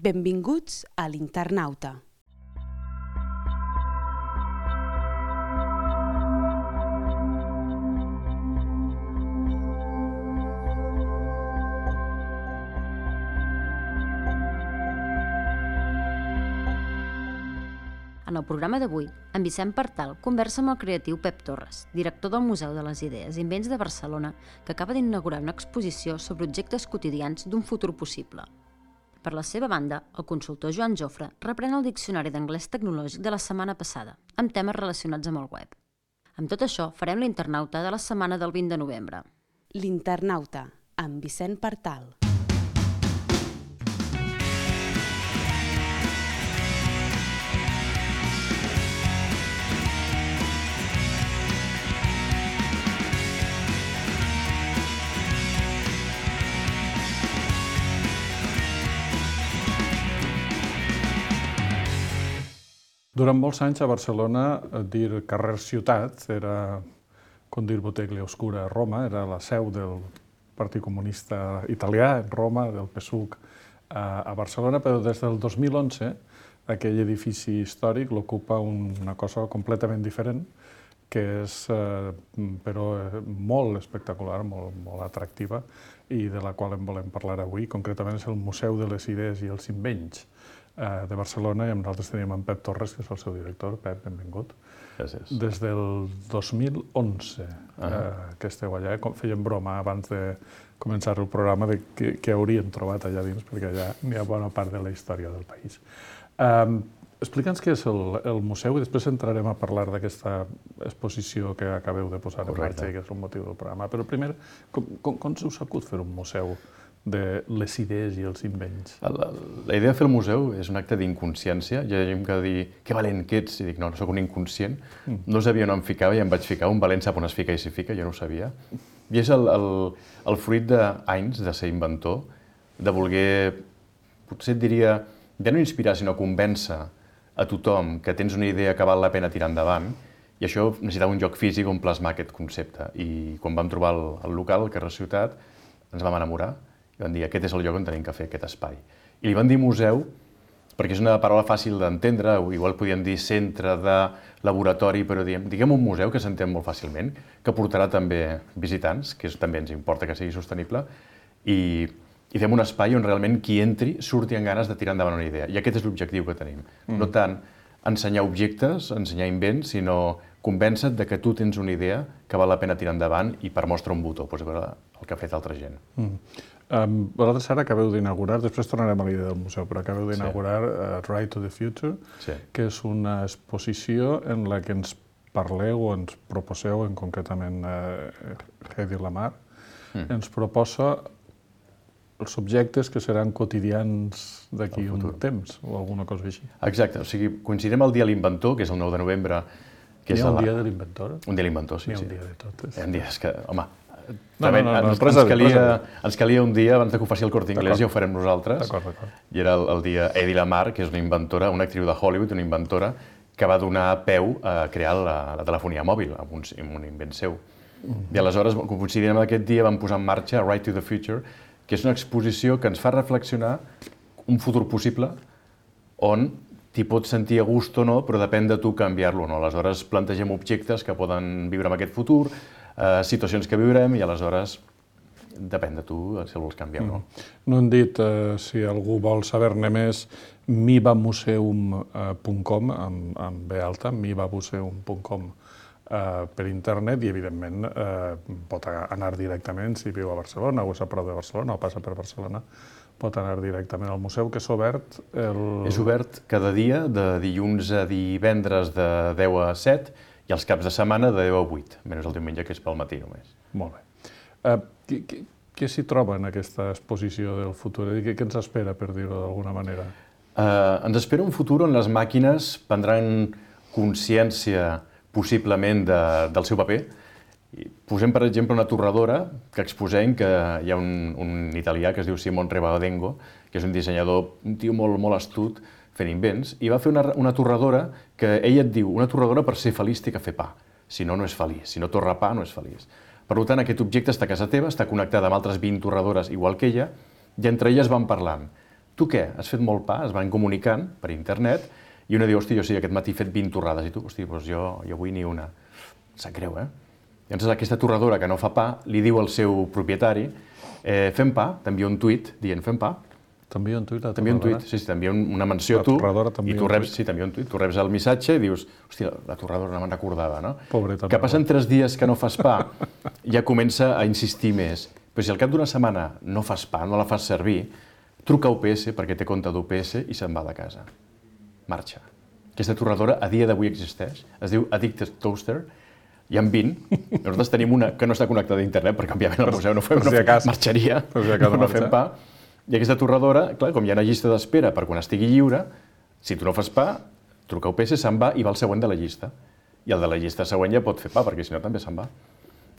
Benvinguts a l'Internauta. En el programa d'avui, en Vicent Partal conversa amb el creatiu Pep Torres, director del Museu de les Idees i Invents de Barcelona, que acaba d'inaugurar una exposició sobre objectes quotidians d'un futur possible. Per la seva banda, el consultor Joan Jofre reprèn el diccionari d'anglès tecnològic de la setmana passada, amb temes relacionats amb el web. Amb tot això, farem l'Internauta de la setmana del 20 de novembre. L'Internauta, amb Vicent Partal. Durant molts anys a Barcelona, dir carrer Ciutat era com dir Botteghe Oscura a Roma, era la seu del Partit Comunista Italià, en Roma, del PSUC a Barcelona, però des del 2011 aquell edifici històric l'ocupa una cosa completament diferent, que és però molt espectacular, molt atractiva, i de la qual en volem parlar avui. Concretament és el Museu de les Idees i els Invents de Barcelona, i amb nosaltres tenim en Pep Torres, que és el seu director. Pep, benvingut. Gràcies. Des del 2011 que esteu allà, fèiem broma abans de començar el programa de què haurien trobat allà dins, perquè allà n'hi ha bona part de la història del país. Explica'ns què és el museu i després entrarem a parlar d'aquesta exposició que acabeu de posar en marxa i que és el motiu del programa. Però primer, com us acut fer un museu de les idees i els invents? La idea de fer el museu és un acte d'inconsciència. Hi ha gent que dir, que valent que ets, i dic, no, soc un inconscient. No sabia on em ficava i em vaig ficar. Un valent sap on es fica i s'hi fica, jo no ho sabia. I és el fruit d'anys de ser inventor, de voler, potser et diria, ja no inspirar, sinó convèncer a tothom que tens una idea que val la pena tirar endavant, i això necessitava un lloc físic on plasmar aquest concepte. I quan vam trobar el local, el carrer Ciutat, ens vam enamorar i vam dir, aquest és el lloc on tenim que fer aquest espai. I li vam dir museu perquè és una paraula fàcil d'entendre, o igual podíem dir centre de laboratori, però diguem un museu que s'entén molt fàcilment, que portarà també visitants, que també ens importa que sigui sostenible, i fem un espai on realment qui entri surti amb ganes de tirar endavant una idea. I aquest és l'objectiu que tenim. No tant ensenyar objectes, ensenyar invents, sinó convèncer-te que tu tens una idea que val la pena tirar endavant i per mostra un botó, pots veure el que ha fet altra gent. Vosaltres ara acabeu d'inaugurar, després tornarem a l'idea del museu, però acabeu d'inaugurar Right to the Future, que és una exposició en la que ens parleu o ens proposeu, concretament Hedy Lamarr, ens proposa els objectes que seran quotidians d'aquí un temps, o alguna cosa així. Exacte, o sigui, coincidim el dia de l'inventor, que és el 9 de novembre. Hi ha un dia de l'inventor? Un dia de l'inventor, sí. Hi ha un dia de tot. Hi ha dies que, home, ens calia un dia abans que ho faci el Corte Inglés, ja ho farem nosaltres. D'acord. I era el dia Hedy Lamarr, que és una inventora, una actriu de Hollywood, una inventora, que va donar peu a crear la telefonia mòbil, amb un invent seu. I aleshores, coincidint amb aquest dia, vam posar en marxa Right to the Future, que és una exposició que ens fa reflexionar un futur possible on t'hi pots sentir a gust o no, però depèn de tu canviar-lo o no. Aleshores, plantegem objectes que poden viure en aquest futur, situacions que viurem, i aleshores depèn de tu si el vols canviar o no. No hem dit, si algú vol saber-ne més, mivamuseum.com, amb B alta, mivamuseum.com, per internet, i evidentment pot anar directament, si viu a Barcelona o és a prop de Barcelona o passa per Barcelona, pot anar directament al museu, que és obert És obert cada dia, de dilluns a divendres de 10 a 7, i els caps de setmana de 10 a 8, menys el diumenge, que és pel matí només. Molt bé. Què s'hi troba en aquesta exposició del futur? Què ens espera, per dir-ho d'alguna manera? Ens espera un futur on les màquines prendran consciència possiblement del seu paper. Posem, per exemple, una torradora que exposem, que hi ha un italià que es diu Simon Rebadengo, que és un dissenyador, un tio molt astut, fent invents, i va fer una torradora que ell et diu, una torradora per ser feliç té que fer pa, si no, no és feliç, si no torra pa no és feliç. Per tant, aquest objecte està a casa teva, està connectat amb altres 20 torradores igual que ella, i entre elles van parlant. tu què? Has fet molt pa? Es van comunicant per internet i una diu, hosti, jo sí, aquest matí he fet 20 torrades. I tu, hosti, doncs jo avui ni una. Sap greu, eh? Llavors aquesta torradora que no fa pa li diu al seu propietari fem pa, t'envia un tuit dient fem pa. T'envia un tuit a la T'envia un torradora? tuit, sí, t'envia una menció a tu i tu reps, sí, t'envia un tuit, tu reps el missatge i dius, hòstia, la torradora no me'n recordava, no? Pobreta. Que passen 3 dies que no fas pa, ja comença a insistir més. Però si al cap d'una setmana no fas pa, no la fas servir, truca a UPS perquè té compte d'UPS i se'n va de casa. Marxa. Aquesta torradora a dia d'avui existeix, es diu Addicted Toaster, hi ha 20, nosaltres tenim una que no està connectada a internet perquè òbviament al museu no fem, marxaria, no fem pa. I aquesta torradora, clar, com hi ha una llista d'espera per quan estigui lliure, si tu no fas pa, truca a UPS, se'n va i va al següent de la llista. I el de la llista següent ja pot fer pa, perquè si no també se'n va.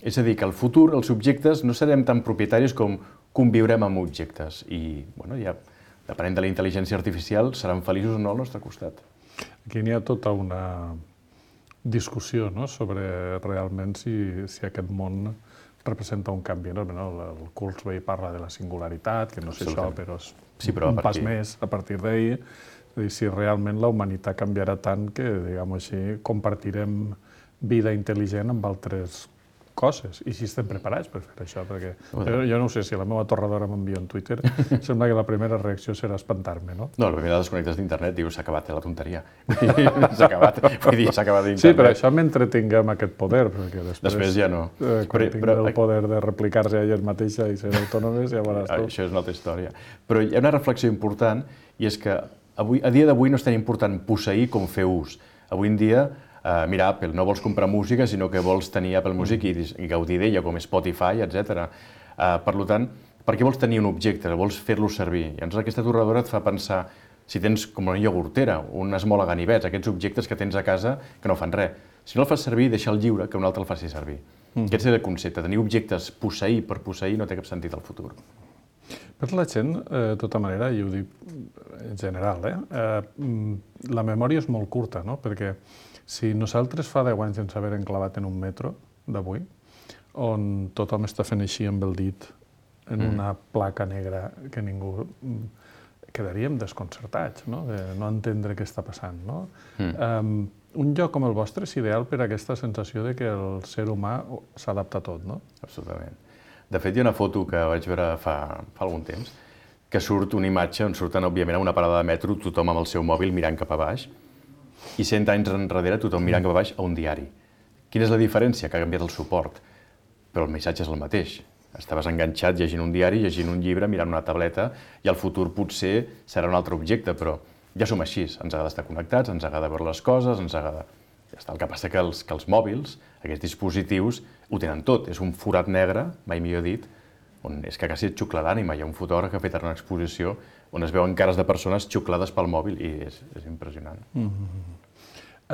És a dir, que al futur els objectes no serem tan propietaris com conviurem amb objectes. I, bueno, ja, depenent de la intel·ligència artificial, seran feliços o no al nostre costat. Aquí n'hi ha tota una discussió, no?, sobre realment si aquest món representa un canvi. No? El Kurzweil parla de la singularitat, que no sé això, però és un pas més a partir d'ahir. És a dir, si realment la humanitat canviarà tant que, diguem-ho així, compartirem vida intel·ligent amb altres coses, i si estem preparats per fer això, perquè jo no sé si la meva torradora m'envia un Twitter, sembla que la primera reacció serà espantar-me, no? No, la primera desconnectes d'internet, dius, s'ha acabat la tonteria. S'ha acabat, vull dir, s'ha acabat d'internet. Sí, però això mentre tinguem aquest poder, perquè després ja no. Quan tinguem el poder de replicar-se a elles mateixa i ser autònomes, ja veuràs tu. Això és una altra història. Però hi ha una reflexió important, i és que a dia d'avui no és tan important posseir com fer ús. Avui en dia, mira, Apple, no vols comprar música, sinó que vols tenir Apple Music i gaudir d'ella, com Spotify, etc. Per tant, per què vols tenir un objecte? Vols fer-lo servir. Llavors aquesta torradora et fa pensar, si tens com una iogurtera, una esmola ganivets, aquests objectes que tens a casa que no fan res. Si no el fas servir, deixa'l lliure, que un altre el faci servir. Aquest és el concepte. Tenir objectes posseir per posseir no té cap sentit al futur. Per la gent, de tota manera, i ho dic en general, la memòria és molt curta, no? Perquè si nosaltres fa 10 anys ens haver enclavat en un metro d'avui, on tothom està fent així amb el dit en una placa negra que ningú... quedaríem desconcertats, no? De no entendre què està passant, no? Un lloc com el vostre és ideal per a aquesta sensació de que el ser humà s'adapta a tot, no? Absolutament. De fet, hi ha una foto que vaig veure fa algun temps, que surt una imatge on surten, òbviament, a una parada de metro, tothom amb el seu mòbil mirant cap a baix, i 100 anys enrere tothom mirant cap a baix a un diari. Quina és la diferència? Que ha canviat el suport, però el missatge és el mateix. Estaves enganxat llegint un diari, llegint un llibre, mirant una tableta, i al futur potser serà un altre objecte, però ja som així, ens agrada estar connectats, ens agrada veure les coses, ens agrada... Ja està. El que passa que els mòbils, aquests dispositius, ho tenen tot. És un forat negre, mai millor dit, on és que quasi et xucla l'ànima. Hi ha un fotògraf que ha fet una exposició on es veuen cares de persones xuclades pel mòbil i és impressionant.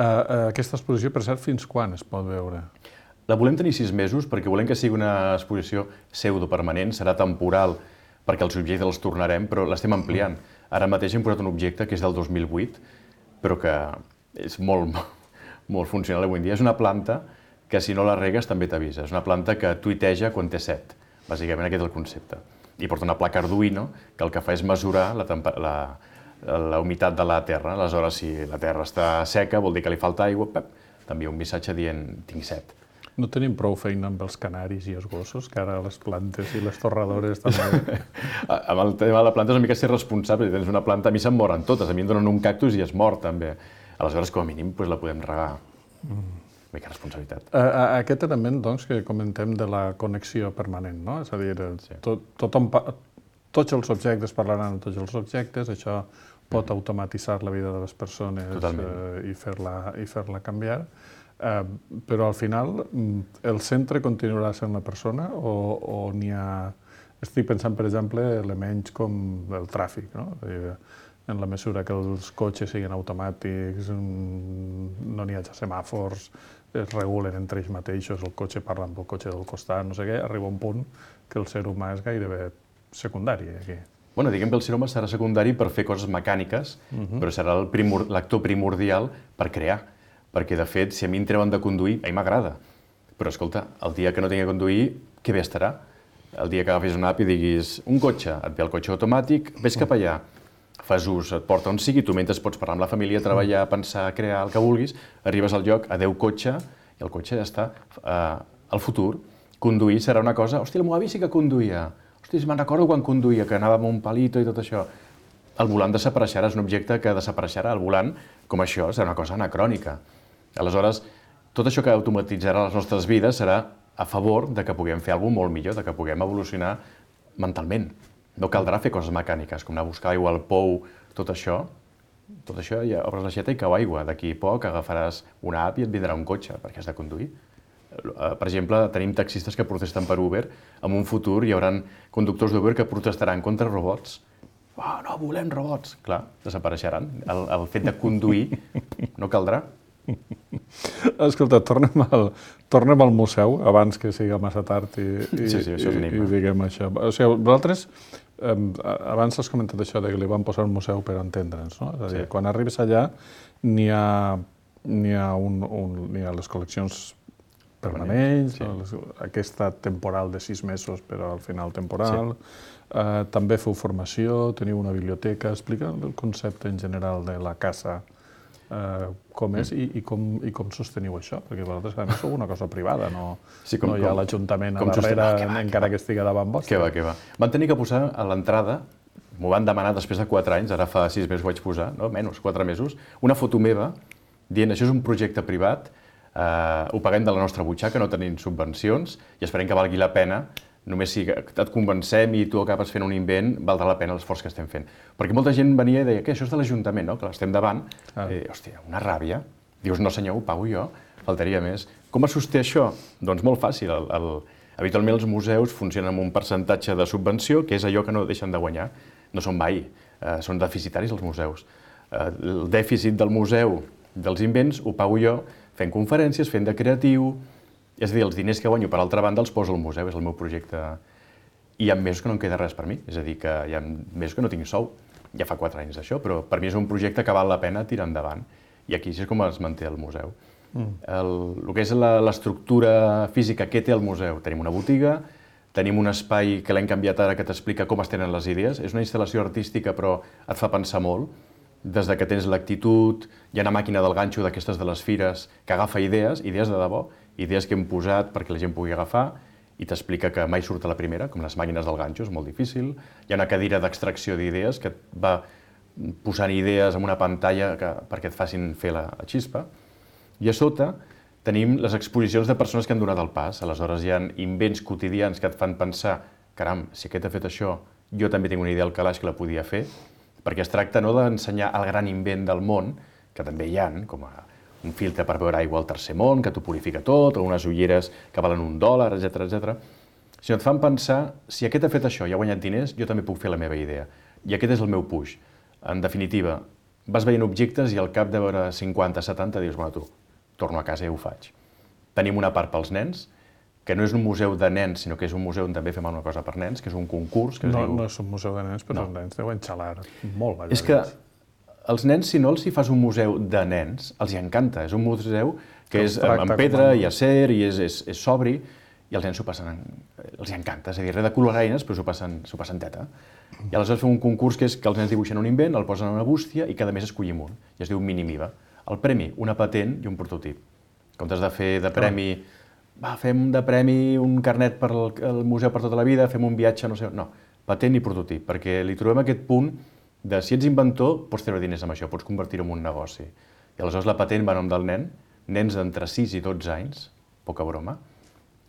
Aquesta exposició, per cert, fins quan es pot veure? La volem tenir 6 mesos perquè volem que sigui una exposició pseudopermanent, serà temporal perquè els objectes els tornarem, però l'estem ampliant. Ara mateix hem posat un objecte que és del 2008, però que és molt funcional avui en dia. És una planta que si no la regues també t'avisa. És una planta que tuiteja quan té set. Bàsicament aquest és el concepte. I porta una placa Arduino que el que fa és mesurar la humitat de la terra. Aleshores, si la terra està seca, vol dir que li falta aigua, t'envia un missatge dient tinc set. No tenim prou feina amb els canaris i els gossos, que ara les plantes i les torradores també... Amb el tema de la planta és una mica ser responsable. Si tens una planta, a mi se'n moren totes. A mi em donen un cactus i es mor, també. Aleshores, com a mínim, la podem regar. Mica responsabilitat. Aquest element, doncs, que comentem de la connexió permanent, no? És a dir, tots els objectes parlaran amb tots els objectes, això pot automatitzar la vida de les persones i fer-la canviar. Però al final el centre continuarà sent la persona o n'hi ha... Estic pensant, per exemple, elements com el tràfic, no? En la mesura que els cotxes siguin automàtics, no n'hi hagi semàfors, es regulen entre ells mateixos, el cotxe parla amb el cotxe del costat, no sé què, arriba un punt que el ser humà és gairebé secundari aquí. Bueno, diguem que el ser humà serà secundari per fer coses mecàniques, però serà l'actor primordial per crear. Perquè, de fet, si a mi em treuen de conduir, a mi m'agrada. Però, escolta, el dia que no tingui de conduir, que bé estarà. El dia que agafis una app i diguis un cotxe, et ve el cotxe automàtic, ves cap allà. fas ús, et porta on sigui, tu mentre pots parlar amb la família, treballar, pensar, crear, el que vulguis, arribes al lloc, adeu cotxe, i el cotxe ja està. Al futur, conduir serà una cosa... Hòstia, el meu avi sí que conduïa. Hòstia, me'n recordo quan conduïa, que anava amb un palito i tot això. El volant desapareixerà, és un objecte que desapareixerà. El volant, com això, serà una cosa anacrònica. Aleshores, tot això que automatitzarà les nostres vides serà a favor de que puguem fer alguna cosa molt millor, de que puguem evolucionar mentalment. No caldrà fer coses mecàniques, com anar a buscar aigua al pou, tot això ja obres l'aixeta i cau aigua. D'aquí a poc agafaràs una app i et vindrà un cotxe, perquè has de conduir. Per exemple, tenim taxistes que protesten per Uber. En un futur hi haurà conductors d'Uber que protestaran contra robots. No volem robots. Clar, desapareixeran. El fet de conduir no caldrà. Escolta, tornem al museu, abans que sigui massa tard i diguem això. O sigui, vosaltres, abans has comentat això de que li van posar un museu per entendre'ns, no? És a dir, quan arribes allà n'hi ha les col·leccions permanents, aquesta temporal de 6 mesos, però al final temporal. També feu formació, teniu una biblioteca. Explica el concepte en general de la casa, com és i com sosteniu això, perquè vosaltres a més sou una cosa privada, no hi ha l'Ajuntament a darrere, encara que estigui davant vostre. Què va. Van tenir que posar a l'entrada, m'ho van demanar després de 4 anys, ara fa 6 mesos ho vaig posar, no? Menys, 4 mesos, una foto meva dient això és un projecte privat, ho paguem de la nostra butxaca, no tenim subvencions i esperem que valgui la pena. Només si et convencem i tu acabes fent un invent, valdrà la pena l'esforç que estem fent. Perquè molta gent venia i deia que això és de l'Ajuntament, no? Que l'estem davant. Hòstia, una ràbia. Dius, no senyor, ho pago jo, faltaria més. Com es sosté això? Doncs molt fàcil. Habitualment els museus funcionen amb un percentatge de subvenció, que és allò que no deixen de guanyar. No són mai, són deficitaris els museus. El dèficit del museu, dels invents, ho pago jo fent conferències, fent de creatiu. És a dir, els diners que guanyo, per altra banda, els poso al museu, és el meu projecte. I hi ha mesos que no em queda res per mi, és a dir, que hi ha mesos que no tinc sou. Ja fa 4 anys d'això, però per mi és un projecte que val la pena tirar endavant. I aquí és com es manté el museu. El que és l'estructura física, què té el museu? Tenim una botiga, tenim un espai que l'hem canviat ara que t'explica com es tenen les idees. És una instal·lació artística, però et fa pensar molt. Des que tens l'actitud, hi ha una màquina del ganxo d'aquestes de les fires que agafa idees de debò, idees que hem posat perquè la gent pugui agafar i t'explica que mai surt a la primera, com les màquines del ganxo, és molt difícil. Hi ha una cadira d'extracció d'idees que et va posant idees en una pantalla perquè et facin fer la xispa. I a sota tenim les exposicions de persones que han donat el pas. Aleshores hi ha invents quotidians que et fan pensar caram, si aquest ha fet això, jo també tinc una idea al calaix que la podia fer, perquè es tracta no d'ensenyar el gran invent del món, que també hi ha, com un filtre per beure aigua al tercer món, que t'ho purifica tot, o unes ulleres que valen $1, etc. Sinó et fan pensar, si aquest ha fet això i ha guanyat diners, jo també puc fer la meva idea. I aquest és el meu puix. En definitiva, vas veient objectes i al cap de veure 50, 70, dius, bueno, tu, torno a casa i ho faig. Tenim una part pels nens, que no és un museu de nens, sinó que és un museu on també fem una cosa per nens, que és un concurs que es diu... No és un museu de nens, però els nens deuen xalar molt balladors. És que els nens, si no els hi fas un museu de nens, els hi encanta. És un museu que és en pedra i acer i és sobri, i els nens els hi encanta. És a dir, res de coloraines, però s'ho passen teta. I aleshores fem un concurs que és que els nens dibuixen un invent, el posen en una bústia i cada mes escollim un. I es diu Minimiva. El premi, una patent i un prototip. En comptes de fer de premi... fem de premi un carnet per al museu per tota la vida, fem un viatge, no sé... No, patent i prototip, perquè li trobem aquest punt de si ets inventor, pots treure diners amb això, pots convertir-ho en un negoci. I aleshores la patent va a nom del nen, nens d'entre 6 i 12 anys, poca broma,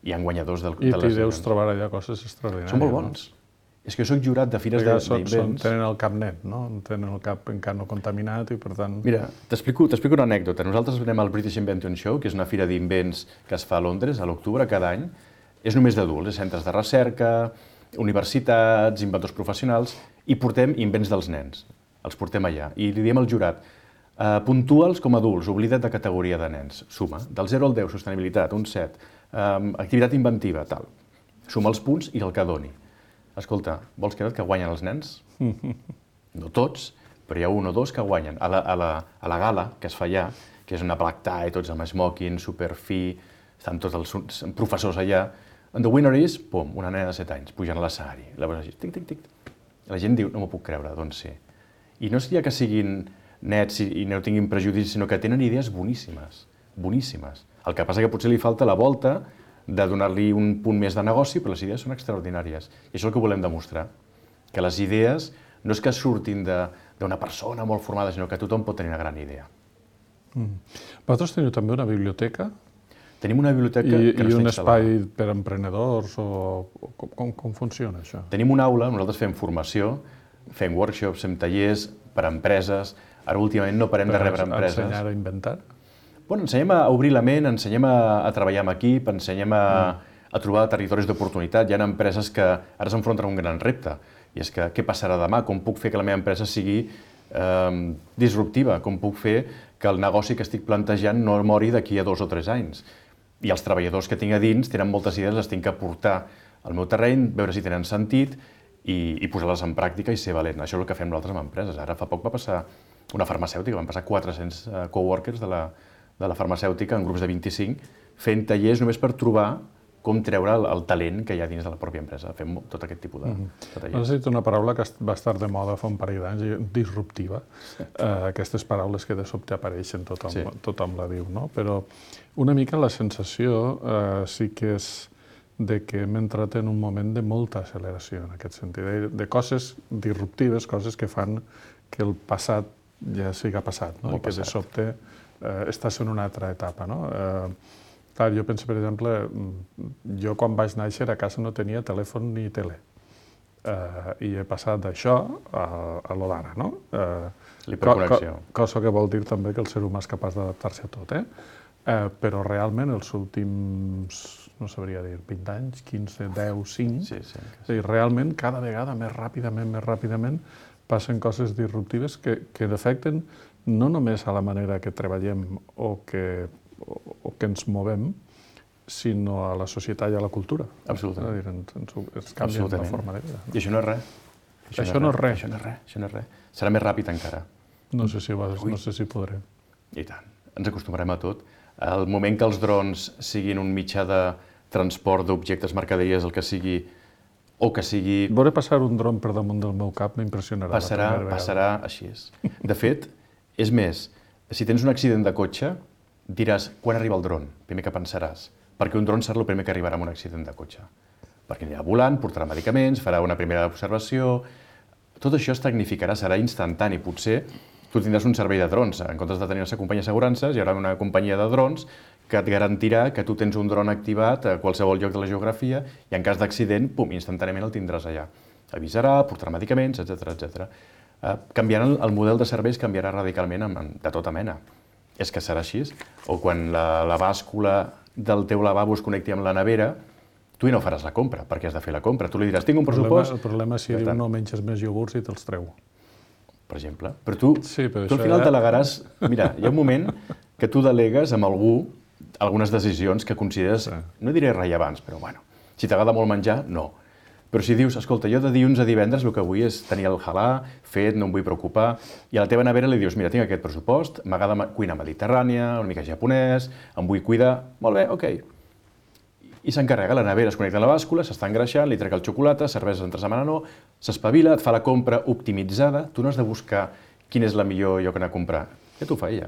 i han guanyadors de les... I t'hi deus trobar allà coses extraordinàries. Són molt bons. És que jo soc jurat de fires d'invents. Tenen el cap net, no? Tenen el cap encara no contaminat i per tant... Mira, t'explico una anècdota. Nosaltres anem al British Invention Show, que és una fira d'invents que es fa a Londres a l'octubre cada any. És només d'adults, centres de recerca, universitats, inventors professionals, i portem invents dels nens. Els portem allà. I li diem al jurat, puntua'ls com a adults, oblida't de categoria de nens. Suma. Del 0 al 10, sostenibilitat, un 7. Activitat inventiva, tal. Suma els punts i el que doni. Escolta, vols que guanyen els nens? No tots, però hi ha 1 o 2 que guanyen. A la gala que es fa allà, que és una black tie, tots amb smoking, superfi, estan tots els professors allà, and the winner is, pum, una nena de 7 anys, pujant a l'escenari. La veus així, tic, tic, tic. La gent diu, no m'ho puc creure, doncs sí. I no seria que siguin nets i no tinguin prejudicis, sinó que tenen idees boníssimes, boníssimes. El que passa que potser li falta la volta de donar-li un punt més de negoci, però les idees són extraordinàries. I això és el que volem demostrar, que les idees no és que surtin d'una persona molt formada, sinó que tothom pot tenir una gran idea. Vosaltres teniu també una biblioteca? Tenim una biblioteca que no I està un instal·lada. espai per a emprenedors? Com funciona això? Tenim una aula, nosaltres fem formació, fem workshops, fem tallers per a empreses. Ara últimament no parem de rebre empreses. Ensenyar a inventar? Bueno, ensenyem a obrir la ment, ensenyem a treballar en equip, ensenyem a trobar territoris d'oportunitat. Hi ha empreses que ara s'enfronten a un gran repte, i és que què passarà demà? Com puc fer que la meva empresa sigui disruptiva? Com puc fer que el negoci que estic plantejant no mori d'aquí a 2 o 3 anys? I els treballadors que tinc a dins tenen moltes idees, les tinc que portar al meu terreny, veure si tenen sentit i posar-les en pràctica i ser valent. Això és el que fem nosaltres amb empreses. Ara fa poc va passar una farmacèutica, van passar 400 coworkers de la farmacèutica en grups de 25 fent tallers només per trobar com treure el talent que hi ha dins de la pròpia empresa. Fem tot aquest tipus de tallers. Has dit una paraula que va estar de moda fa un parell d'anys, disruptiva. Aquestes paraules que de sobte apareixen, tothom la diu, no? Però una mica la sensació sí que és de que hem entrat en un moment de molta acceleració en aquest sentit, de coses disruptives, coses que fan que el passat ja siga passat, no? I que de sobte estàs en una altra etapa, no? Clar, jo penso, per exemple, jo quan vaig néixer a casa no tenia telèfon ni tele. I he passat d'això a lo d'ara, no? L'hiperconnexió. Cosa que vol dir també que el ser humà és capaç d'adaptar-se a tot, però realment els últims, no sabria dir, 20 anys, 15, 10, 5, és a dir, realment cada vegada més ràpidament passen coses disruptives que afecten no només a la manera que treballem o que ens movem, sinó a la societat i a la cultura. Absolutament. Es canvia la forma de vida. I això no és res. Això no és res. Això no és res. Serà més ràpid encara. No sé si podré. I tant. Ens acostumarem a tot. El moment que els drons siguin un mitjà de transport d'objectes, mercaderies, el que sigui, o que sigui... Veure passar un dron per damunt del meu cap m'impressionarà. Passarà així. De fet, és més, si tens un accident de cotxe, diràs, quan arriba el dron? Primer que pensaràs. Perquè un dron serà el primer que arribarà amb un accident de cotxe. Perquè anirà volant, portarà medicaments, farà una primera observació... Tot això es tecnificarà, serà instantani. Potser tu tindràs un servei de drons. En comptes de tenir una companyia d'assegurances, hi haurà una companyia de drons que et garantirà que tu tens un dron activat a qualsevol lloc de la geografia i en cas d'accident, pum, instantàniament el tindràs allà. Avisarà, portarà medicaments, etc. Canviarà el model de serveis, canviarà radicalment de tota mena. És que serà així. O quan la bàscula del teu lavabo es connecti amb la nevera, tu no faràs la compra, perquè has de fer la compra. Tu li diràs, tinc un pressupost... El problema és si diu no menges més iogurts i te'ls treu. Per exemple. Però tu al final delegaràs... Mira, hi ha un moment que tu delegues amb algú algunes decisions que consideres, no diré rellevants, però bueno, si t'agrada molt menjar, no. Però si dius, escolta, jo de dilluns a divendres el que vull és tenir el halà fet, no em vull preocupar, i a la teva nevera li dius, mira, tinc aquest pressupost, m'agrada cuinar mediterrània, una mica japonès, em vull cuidar, molt bé, ok. I s'encarrega, la nevera es connecta a la bàscula, s'està engreixant, li trec el xocolata, cerveses entre setmana no, s'espavila, et fa la compra optimitzada, tu no has de buscar quin és el millor lloc anar a comprar, ja t'ho fa ella.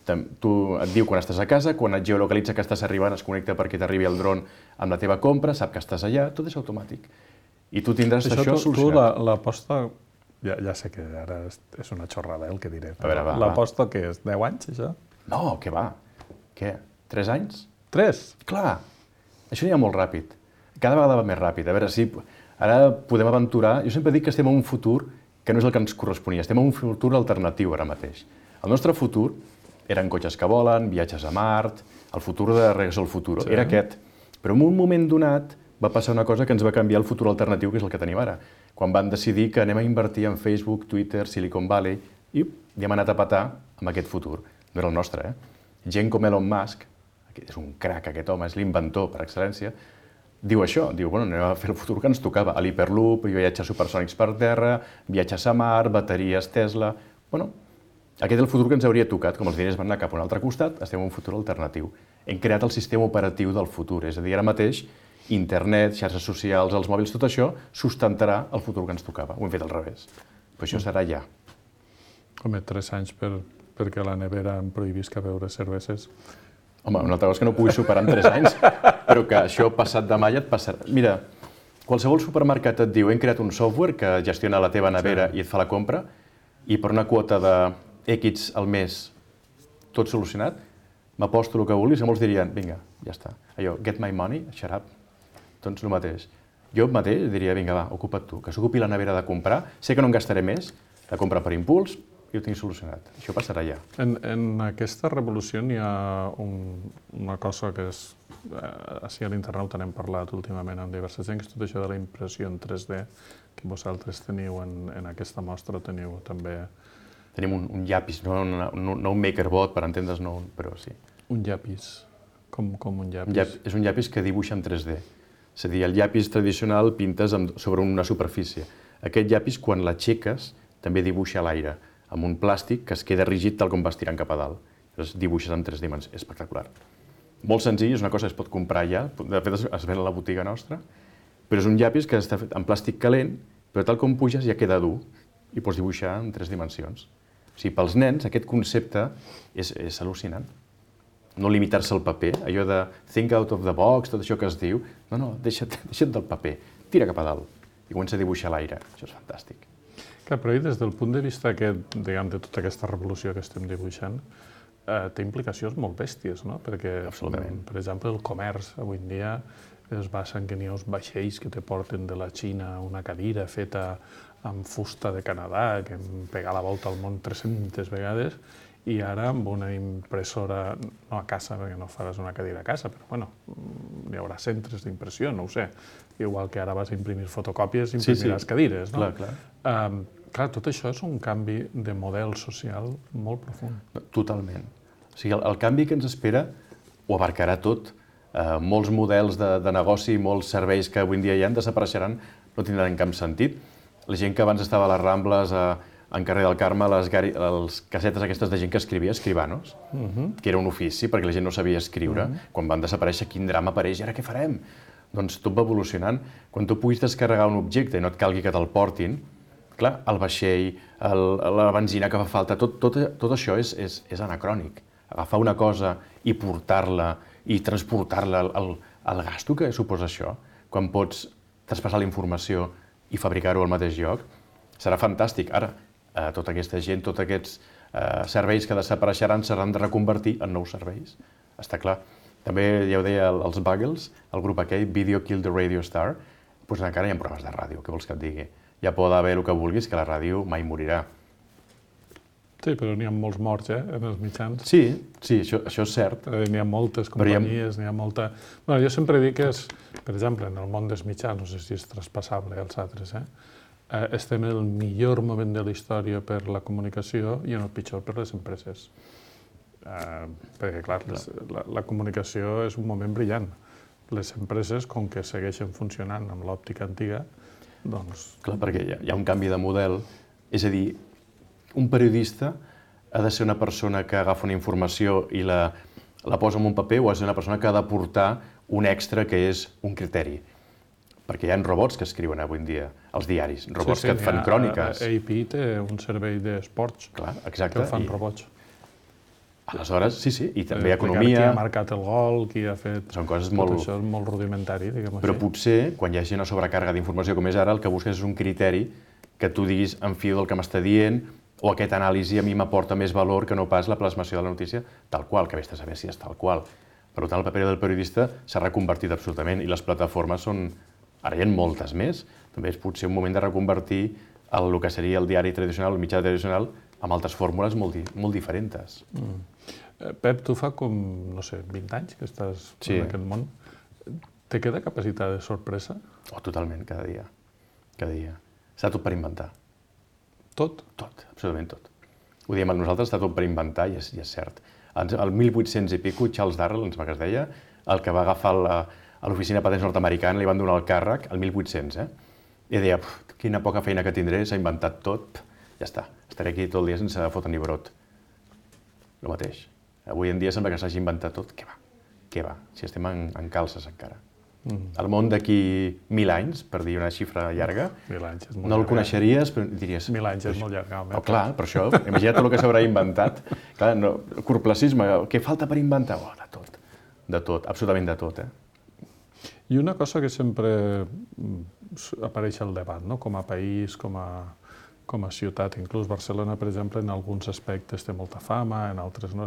Tu et diu quan estàs a casa, quan et geolocalitza que estàs arribant, es connecta perquè t'arribi el dron amb la teva compra, sap que estàs allà, tot és automàtic. I tu tindràs això solucionat. Tu l'aposta, ja sé que ara és una xorrada el que diré, però l'aposta que és 10 anys, això? No, què va? Què? 3 anys? 3? Clar, això anirà molt ràpid. Cada vegada va més ràpid. A veure si ara podem aventurar... Jo sempre dic que estem en un futur que no és el que ens corresponia, estem en un futur alternatiu ara mateix. El nostre futur eren cotxes que volen, viatges a Mart, el futur de Regreso al Futuro, era aquest. Però en un moment donat va passar una cosa que ens va canviar el futur alternatiu, que és el que tenim ara. Quan van decidir que anem a invertir en Facebook, Twitter, Silicon Valley, i hem anat a petar amb aquest futur. No era el nostre, Gent com Elon Musk, que és un crac aquest home, és l'inventor per excel·lència, diu això, diu, bueno, anem a fer el futur que ens tocava, a l'Hyperloop, viatges supersònics per terra, viatges a Mart, bateries Tesla... Bueno, aquest és el futur que ens hauria tocat, com els diners van anar cap a un altre costat, estem en un futur alternatiu. Hem creat el sistema operatiu del futur, és a dir, ara mateix, internet, xarxes socials, els mòbils, tot això sustentarà el futur que ens tocava. Ho hem fet al revés. Però això serà ja. Home, 3 anys perquè a la nevera em prohibisca beure cerveses. Home, una altra cosa és que no puguis superar en 3 anys, però que això passat demà ja et passarà. Mira, qualsevol supermercat et diu hem creat un software que gestiona la teva nevera i et fa la compra i per una quota de X al mes tot solucionat, m'aposto el que vulguis, que molts dirien, vinga, ja està. Allò, get my money, shut up. Doncs el mateix. Jo mateix diria, vinga, va, ocupa't tu, que s'ocupi la nevera de comprar, sé que no en gastaré més, la compra per impuls, i ho tinc solucionat. Això passarà ja. En aquesta revolució n'hi ha una cosa que és, així a l'internauta n'hem parlat últimament amb diversa gent, que és tot això de la impressió en 3D, que vosaltres teniu en aquesta mostra, teniu també... Tenim un llapis, no un MakerBot, per entendre's, no, però sí. Un llapis, com un llapis. És un llapis que dibuixa en 3D. És a dir, el llapis tradicional pintes sobre una superfície. Aquest llapis, quan l'aixeques, també dibuixa a l'aire, amb un plàstic que es queda rígid tal com vas tirant cap a dalt. Llavors dibuixes en 3 dimensions. És espectacular. Molt senzill, és una cosa que es pot comprar ja, de fet es ven a la botiga nostra, però és un llapis que està fet en plàstic calent, però tal com puges ja queda dur i pots dibuixar en 3 dimensions. O sigui, pels nens aquest concepte és al·lucinant. No limitar-se al paper, allò de think out of the box, tot això que es diu, no, deixa't del paper, tira cap a dalt i comença a dibuixar a l'aire. Això és fantàstic. Clar, però des del punt de vista aquest, diguem, de tota aquesta revolució que estem dibuixant, té implicacions molt bèsties, no? Perquè, per exemple, el comerç avui en dia es basa en que n'hi ha uns vaixells que te porten de la Xina una cadira feta amb fusta de Canadà, que hem pegat la volta al món 300 vegades, i ara amb una impressora, no a casa, perquè no faràs una cadira a casa, però bueno, hi haurà centres d'impressió, no ho sé. Igual que ara vas a imprimir fotocòpies, imprimiràs cadires, no? Clar, tot això és un canvi de model social molt profund. Totalment. O sigui, el canvi que ens espera ho abarcarà tot. Molts models de negoci, molts serveis que avui en dia ja desapareixeran, no tindran cap sentit. La gent que abans estava a les Rambles, en carrer del Carme, les casetes aquestes de gent que escrivia, escribanos, que era un ofici perquè la gent no sabia escriure. Quan van desaparèixer, quin drama apareix, i ara què farem? Doncs tot va evolucionant. Quan tu puguis descarregar un objecte i no et calgui que te'l portin, clar, el vaixell, la benzina que fa falta, tot això és anacrònic. Agafar una cosa i portar-la i transportar-la, el gasto que suposa això, quan pots traspassar la informació i fabricar-ho al mateix lloc, serà fantàstic. Ara, tota aquesta gent, tots aquests serveis que desapareixeran seran de reconvertir en nous serveis. Està clar. També, ja ho deia els Buggles, el grup aquell, Video Killed the Radio Star, doncs encara hi ha programes de ràdio, què vols que et digui? Ja pot haver el que vulguis, que la ràdio mai morirà. Sí, però n'hi ha molts morts, en els mitjans. Sí, això és cert. N'hi ha moltes companyies, n'hi ha molta... Bueno, jo sempre dic que és, per exemple, en el món dels mitjans, no sé si és traspassable als altres, estem en el millor moment de la història per la comunicació i en el pitjor per les empreses. Perquè, clar, la comunicació és un moment brillant. Les empreses, com que segueixen funcionant amb l'òptica antiga, doncs... Clar, perquè hi ha un canvi de model, és a dir, un periodista ha de ser una persona que agafa una informació i la posa en un paper o ha de ser una persona que ha d'aportar un extra que és un criteri. Perquè hi ha robots que escriuen avui en dia als diaris, robots que et fan cròniques. AP té un servei d'esports que el fan robots. Aleshores, sí, i també economia... Qui ha marcat el gol, qui ha fet... Són coses molt... Tot això és molt rudimentari, diguem-ho així. Però potser, quan hi hagi una sobrecàrrega d'informació com és ara, el que busques és un criteri que tu diguis en fio del que m'està dient o aquesta anàlisi a mi m'aporta més valor que no pas la plasmació de la notícia tal qual, que vés a saber si és tal qual. Per tant, el paper del periodista s'ha reconvertit absolutament i les plataformes són... Ara hi ha moltes més. També és potser un moment de reconvertir el que seria el diari tradicional, el mitjà tradicional, amb altres fórmules molt diferents. Pep, tu fa com, no sé, 20 anys que estàs en aquest món. Te queda capacitat de sorpresa? Oh, totalment, cada dia. Cada dia. Està tot per inventar. Tot? Tot, absolutament tot. Ho diem a nosaltres, està tot per inventar i és cert. El 1800 i pico, Charles Darrell, ens que es deia, el que va agafar a l'oficina de patents nord-americana, li van donar el càrrec, el 1800, i deia, quina poca feina que tindré, s'ha inventat tot, ja està, estaré aquí tot el dia sense fotre ni brot. El mateix. Avui en dia sembla que s'hagi inventat tot, què va, si estem en calces encara. El món d'aquí 1.000 anys, per dir una xifra llarga, 1.000 anys és molt no el llarg. coneixeries, però diries... 1.000 anys és molt llarg. Oh, clar, per això, imagina't tot el que s'haurà inventat. Clar, no, corplacisme, què falta per inventar? Oh, de tot, absolutament de tot. I una cosa que sempre apareix al debat, no? Com a país, com a ciutat, inclús Barcelona, per exemple, en alguns aspectes té molta fama, en altres no.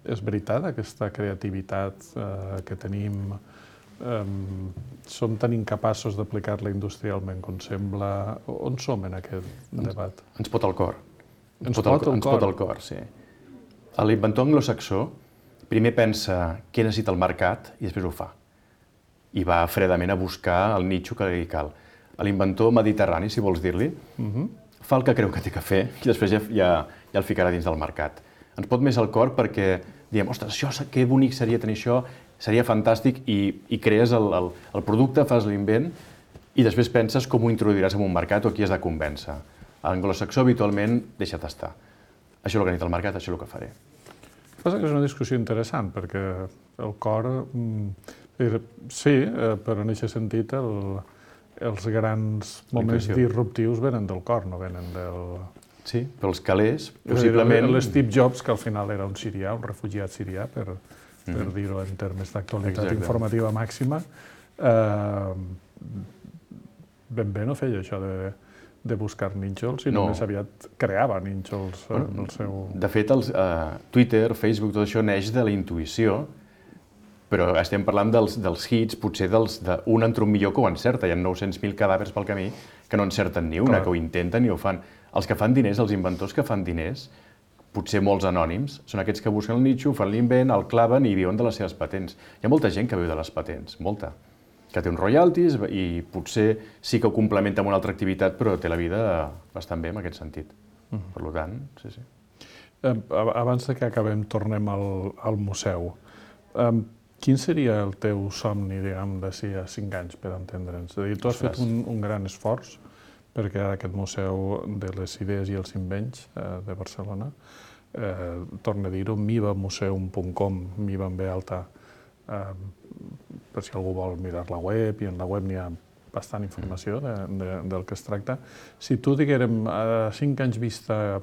És veritat aquesta creativitat que tenim? Som tan incapaços d'aplicar-la industrialment com sembla? On som en aquest debat? Ens pot el cor. Ens pot el cor, sí. L'inventor anglosaxó primer pensa què necessita el mercat i després ho fa. I va fredament a buscar el nitxo que li cal. L'inventor mediterrani, si vols dir-li, fa el que creu que té que fer i després ja el ficarà dins del mercat. Ens pot més el cor perquè diem, ostres, que bonic seria tenir això, seria fantàstic, i crees el producte, fas l'invent i després penses com ho introduiràs en un mercat o qui has de convèncer. L'anglosaxó habitualment deixa tastar. Això és el que necessita el mercat, això és el que faré. Passa que és una discussió interessant, perquè el cor, sí, però en aquest sentit els grans moments disruptius venen del cor, no venen del... Sí, però els calés, possiblement... L'Steve Jobs, que al final era un sirià, un refugiat sirià, per dir-ho en termes d'actualitat informativa màxima, ben bé no feia això de buscar nínxols, i només aviat creava nínxols en el seu... De fet, Twitter, Facebook, tot això neix de la intuïció, però estem parlant dels hits, potser d'un entra un millor que ho encerta. Hi ha 900.000 cadàvers pel camí que no encerten ni una, que ho intenten i ho fan. Els que fan diners, els inventors que fan diners, potser molts anònims, són aquests que busquen el nitxo, fan l'invent, el claven i viuen de les seves patents. Hi ha molta gent que viu de les patents, molta, que té uns royalties i potser sí que ho complementa amb una altra activitat, però té la vida bastant bé en aquest sentit. Per tant, sí. Abans que acabem, tornem al museu. Quin seria el teu somni, diguem, d'ací a 5 anys, per entendre'ns? És a dir, tu has fet un gran esforç per crear aquest museu de les idees i els invents de Barcelona. Torno a dir-ho, mivamuseum.com, miva amb B alta, per si algú vol mirar la web, i en la web n'hi ha bastant informació del que es tracta. Si tu diguérem a 5 anys vista,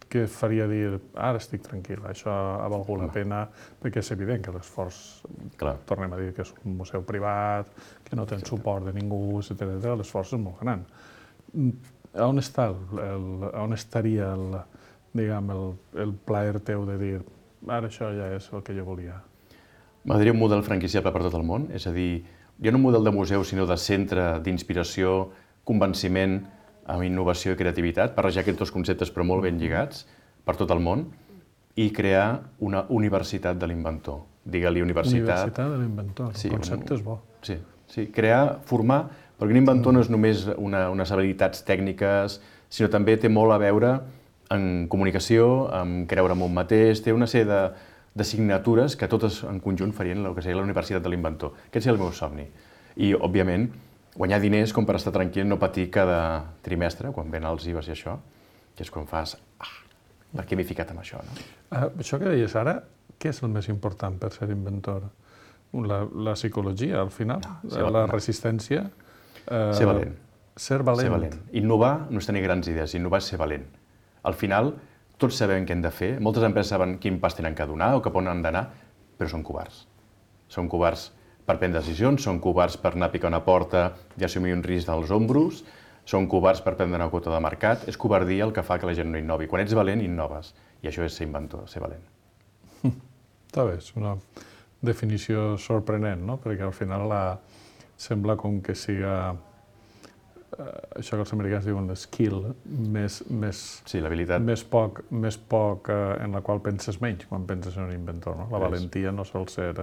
que faria dir, ara estic tranquil, això ha valgut la pena, perquè és evident que l'esforç, tornem a dir que és un museu privat, que no té suport de ningú, etc. L'esforç és molt gran. On estaria el plaer teu de dir, ara això ja és el que jo volia? M'agradaria un model franquiciable per tot el món, és a dir, ja no un model de museu, sinó de centre d'inspiració, convenciment, amb innovació i creativitat, barrejar aquests dos conceptes però molt ben lligats per tot el món, i crear una universitat de l'inventor. Digue-li universitat... Universitat de l'inventor, el concepte és bo. Sí, crear, formar, perquè un inventor no és només unes habilitats tècniques, sinó també té molt a veure en comunicació, en creure en un mateix, té una sèrie d'assignatures que totes en conjunt farien el que seria la universitat de l'inventor. Aquest seria el meu somni. I, òbviament, guanyar diners com per estar tranquil, no patir cada trimestre, quan ven els IVAs i això, que és quan fas, per què m'he ficat en això? Això que deies ara, què és el més important per ser inventor? La psicologia, al final? La resistència? Ser valent. Ser valent. Innovar no és tenir grans idees, innovar és ser valent. Al final, tots sabem què hem de fer, moltes empreses saben quin pas tenen que donar o cap on han d'anar, però són covards. Són covards per prendre decisions, són covards per anar a picar una porta i assumir un risc dels ombros, són covards per prendre una quota de mercat, és covardia el que fa que la gent no innovi. Quan ets valent, innoves, i això és ser inventor, ser valent. Està bé, és una definició sorprenent, no? Perquè al final sembla com que siga això que els americans diuen skill, més poc en la qual penses menys quan penses en un inventor. La valentia no sol ser...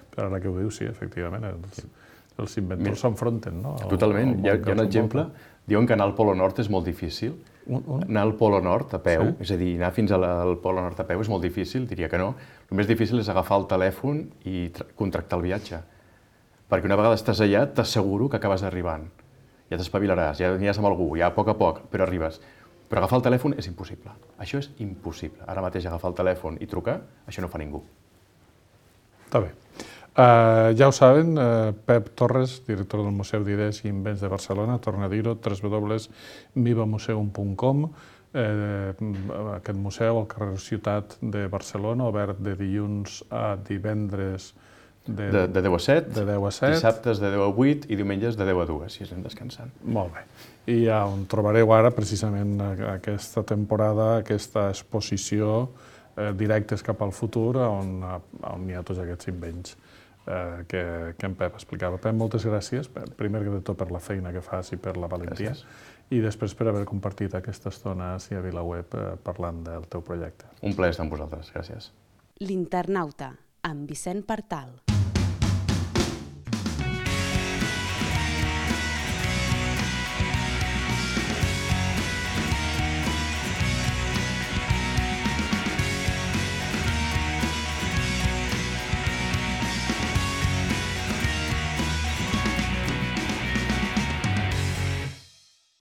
Però ara que ho dius, sí, efectivament, els inventors s'enfronten. Totalment. Hi ha un exemple, diuen que anar al Polo Nord és molt difícil. Anar al Polo Nord a peu, és a dir, anar fins al Polo Nord a peu és molt difícil, diria que no. El més difícil és agafar el telèfon i contractar el viatge. Perquè una vegada estàs allà, t'asseguro que acabes arribant. Ja t'espavilaràs, ja aniràs amb algú, ja a poc, però arribes. Però agafar el telèfon és impossible. Això és impossible. Ara mateix agafar el telèfon i trucar, això no fa ningú. Està bé. Ja ho saben, Pep Torres, director del Museu d'Idees i Invents de Barcelona, torna a dir-ho, www.mivamuseum.com. Aquest museu al carrer Ciutat de Barcelona, obert de dilluns a divendres De 10 a 7, de 10 a 7. Dissabtes de 10 a 8 i diumenges de 10 a 2, si anem descansant. Molt bé. I on trobareu ara precisament aquesta temporada, aquesta exposició directes cap al futur, on hi ha tots aquests invents que en Pep explicava. Pep, moltes gràcies, primer de tot per la feina que fas i per la valentia, i després per haver compartit aquesta estona a VilaWeb parlant del teu projecte. Un plaer estar amb vosaltres, gràcies. L'Internauta, amb Vicent Partal.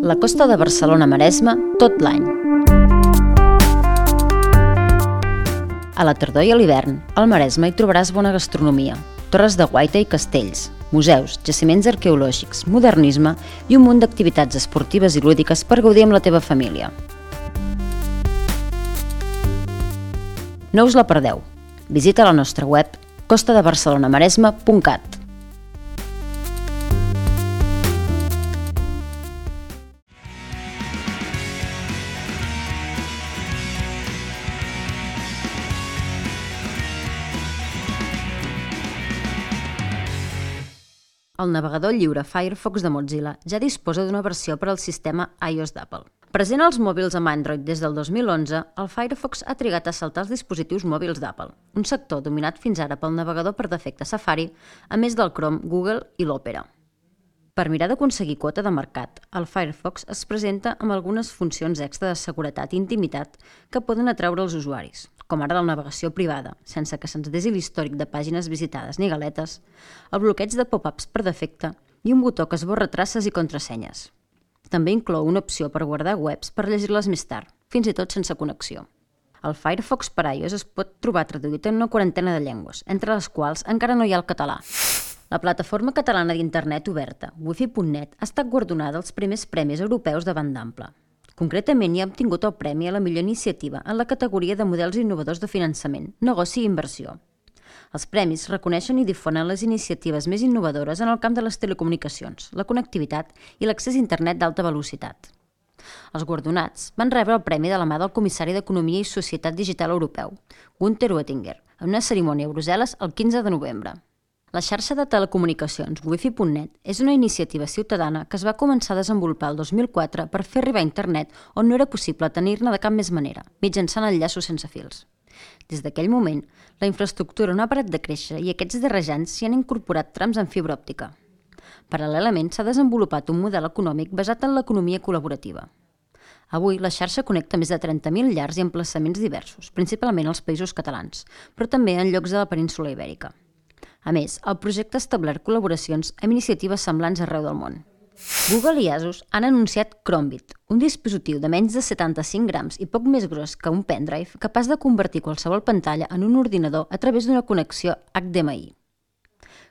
La costa de Barcelona-Maresme tot l'any. A la tardor i a l'hivern, al Maresme hi trobaràs bona gastronomia, torres de guaita i castells, museus, jaciments arqueològics, modernisme i un munt d'activitats esportives i lúdiques per gaudir amb la teva família. No us la perdeu. Visita la nostra web costadebarcelonamaresme.cat. El navegador lliure Firefox de Mozilla ja disposa d'una versió per al sistema iOS d'Apple. Present als mòbils amb Android des del 2011, el Firefox ha trigat a saltar els dispositius mòbils d'Apple, un sector dominat fins ara pel navegador per defecte Safari, a més del Chrome, Google i l'Opera. Per mirar d'aconseguir quota de mercat, el Firefox es presenta amb algunes funcions extra de seguretat i intimitat que poden atraure els usuaris, com ara la navegació privada, sense que se'ns desi l'històric de pàgines visitades ni galetes, el bloqueig de pop-ups per defecte i un botó que esborra traces i contrasenyes. També inclou una opció per guardar webs per llegir-les més tard, fins i tot sense connexió. El Firefox per iOS es pot trobar traduït en una quarantena de llengües, entre les quals encara no hi ha el català. La plataforma catalana d'internet oberta, wifi.net, ha estat guardonada als primers premis europeus de banda ampla. Concretament, hi ha obtingut el premi a la millor iniciativa en la categoria de models innovadors de finançament, negoci i inversió. Els premis reconeixen i difonen les iniciatives més innovadores en el camp de les telecomunicacions, la connectivitat i l'accés a internet d'alta velocitat. Els guardonats van rebre el premi de la mà del comissari d'Economia i Societat Digital Europeu, Günther Oettinger, en una cerimònia a Brussel·les el 15 de novembre. La xarxa de telecomunicacions wifi.net és una iniciativa ciutadana que es va començar a desenvolupar el 2004 per fer arribar a internet on no era possible tenir-ne de cap més manera, mitjançant enllaços sense fils. Des d'aquell moment, la infraestructura no ha parat de créixer i aquests darrers anys s'hi han incorporat trams en fibra òptica. Paral·lelament, s'ha desenvolupat un model econòmic basat en l'economia col·laborativa. Avui, la xarxa connecta més de 30.000 llars i emplaçaments diversos, principalment als països catalans, però també en llocs de la península Ibèrica. A més, el projecte ha establert col·laboracions amb iniciatives semblants arreu del món. Google i Asus han anunciat Chromebit, un dispositiu de menys de 75 grams i poc més gros que un pendrive capaç de convertir qualsevol pantalla en un ordinador a través d'una connexió HDMI.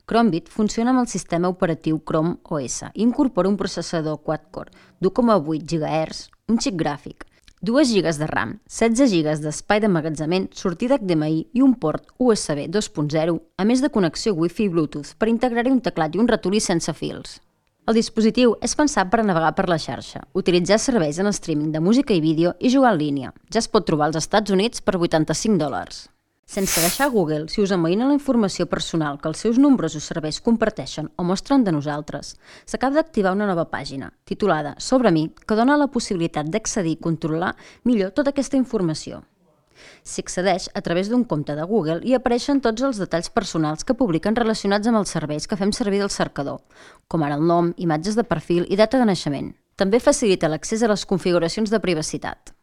Chromebit funciona amb el sistema operatiu Chrome OS i incorpora un processador quad-core d'1,8 GHz, un xip gràfic, 2 GB de RAM, 16 GB d'espai d'emmagatzemament, sortida HDMI i un port USB 2.0, a més de connexió Wi-Fi i Bluetooth per integrar-hi un teclat i un ratolí sense fils. El dispositiu és pensat per navegar per la xarxa, utilitzar serveis en streaming de música i vídeo i jugar en línia. Ja es pot trobar als Estats Units per $85. Sense deixar Google, si us amoïna la informació personal que els seus nombrosos serveis comparteixen o mostren de nosaltres, s'acaba d'activar una nova pàgina, titulada Sobre mi, que dona la possibilitat d'accedir i controlar millor tota aquesta informació. S'hi accedeix a través d'un compte de Google i apareixen tots els detalls personals que publiquen relacionats amb els serveis que fem servir del cercador, com ara el nom, imatges de perfil i data de naixement. També facilita l'accés a les configuracions de privacitat.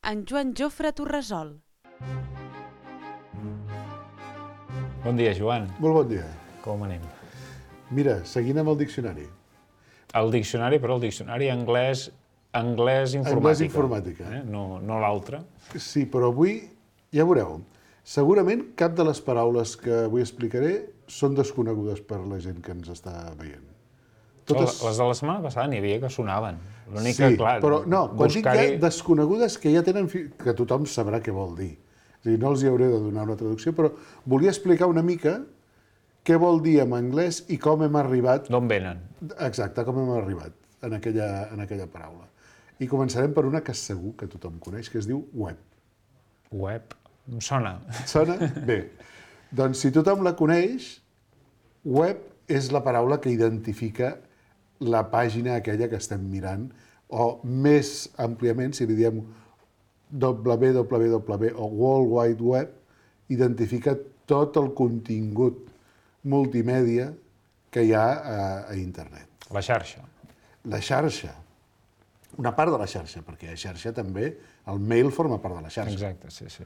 En Joan Jofre Torresol. Bon dia, Joan. Molt bon dia. Com anem? Mira, seguint amb el diccionari. El diccionari, però el diccionari anglès informàtica. Anglès informàtica. No l'altre. Sí, però avui, ja veureu, Segurament cap de les paraules que avui explicaré són desconegudes per la gent que ens està veient. Les de la setmana passada n'hi havia que sonaven. L'únic Sí, que, clar, però no, quan dic ja buscar-hi... desconegudes que ja tenen... que tothom sabrà què vol dir. És a dir, no els hi hauré de donar una traducció, però volia explicar una mica què vol dir en anglès i com hem arribat... D'on venen? Exacte, com hem arribat en aquella paraula. I començarem per una que segur que tothom coneix, que es diu web. Web. Em sona. Et sona? Bé. Doncs si tothom la coneix, web és la paraula que identifica la pàgina aquella que estem mirant, o més àmpliament, si li diem www o World Wide Web, identifica tot el contingut multimèdia que hi ha a internet. La xarxa. La xarxa. Una part de la xarxa, perquè a xarxa també el mail forma part de la xarxa. Exacte, sí, sí.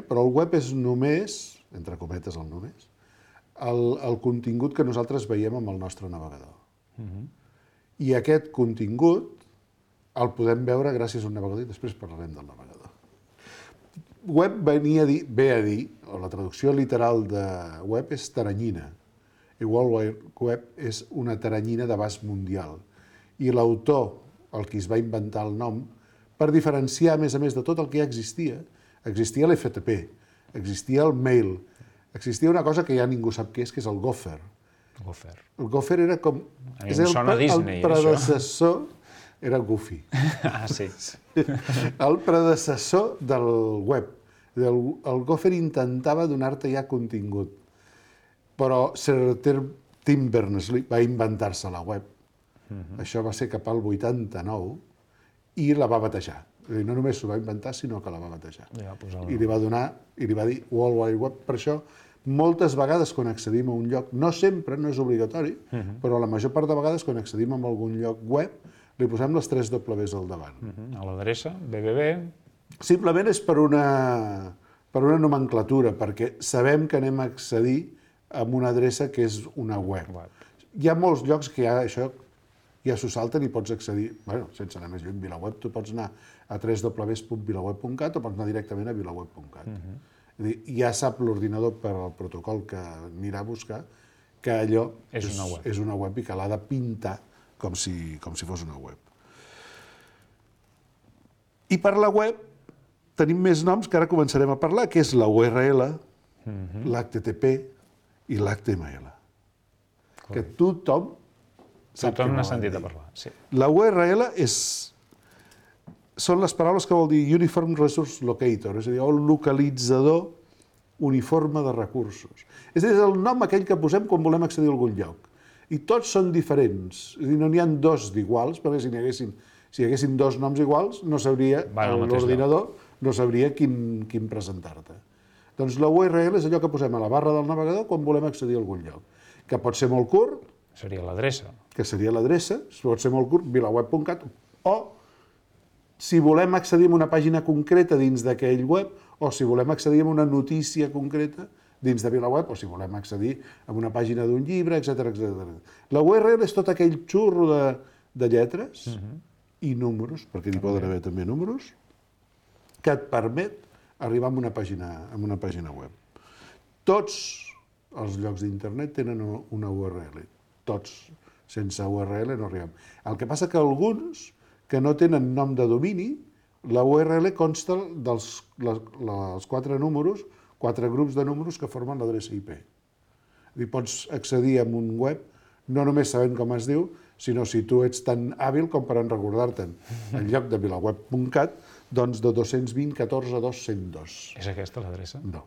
Però el web és només, entre cometes el només, el contingut que nosaltres veiem amb el nostre navegador. I aquest contingut el podem veure gràcies a un navegador i després parlarem del navegador. Web ve a dir, o la traducció literal de web és taranyina. I World Wide Web és una taranyina d'abast mundial. I l'autor, el qui es va inventar el nom, per diferenciar, a més de tot el que ja existia l'FTP, existia el mail, existia una cosa que ja ningú sap què és el Gopher. Gopher. El Gopher era com... A mi em sona Disney, el predecessor era Goofy. Ah, sí. El predecessor del web. El Gopher intentava donar-te ja contingut, però Sir Tim Berners-Lee va inventar-se la web. Això va ser cap al 89 i la va batejar. És a dir, no només s'ho va inventar, sinó que la va batejar. I li va donar, i li va dir World Wide Web. Per això, moltes vegades quan accedim a un lloc, no sempre, no és obligatori, però la major part de vegades quan accedim a algun lloc web, li posem les 3 Ws al davant. A l'adreça, www... Simplement és per una nomenclatura, perquè sabem que anem a accedir a una adreça que és una web. Hi ha molts llocs que això ja s'ho salten i pots accedir, sense anar més lluny, VilaWeb, tu pots anar a www.vilaweb.cat o pots anar directament a vilaweb.cat. És a dir, ja sap l'ordinador per al protocol que anirà a buscar que allò és una web i que l'ha de pintar com si fos una web. I per la web tenim més noms que ara començarem a parlar, que és la URL, l'HTTP i l'HTML. Que tothom sap què n'ha volen sentit dir. a parlar, sí. La URL són les paraules que vol dir Uniform Resource Locator, és a dir, el localitzador uniforme de recursos. És a dir, és el nom aquell que posem quan volem accedir a algun lloc. I tots són diferents, és a dir, no n'hi ha dos d'iguals, perquè si hi haguessin dos noms iguals, no sabria, l'ordinador no sabria quin presentar-te. Doncs la URL és allò que posem a la barra del navegador quan volem accedir a algun lloc, que pot ser molt curt, Seria l'adreça. que seria l'adreça, pot ser molt curt, vilaweb.cat, o si volem accedir a una pàgina concreta dins d'aquell web, o si volem accedir a una notícia concreta dins de VilaWeb, o si volem accedir a una pàgina d'un llibre, etc. La URL és tot aquell xurro de lletres i números, perquè n'hi poden haver també números, que et permet arribar a una pàgina web. Tots els llocs d'internet tenen una URL. Tots. Sense URL no arribem. El que passa que alguns que no tenen nom de domini, la URL consta dels 4 números, 4 grups de números que formen l'adreça IP. Pots accedir a un web no només sabent com es diu, sinó si tu ets tan hàbil com per recordar-te'n en lloc de vilaweb.cat, doncs de 220.14.202. És aquesta l'adreça? No.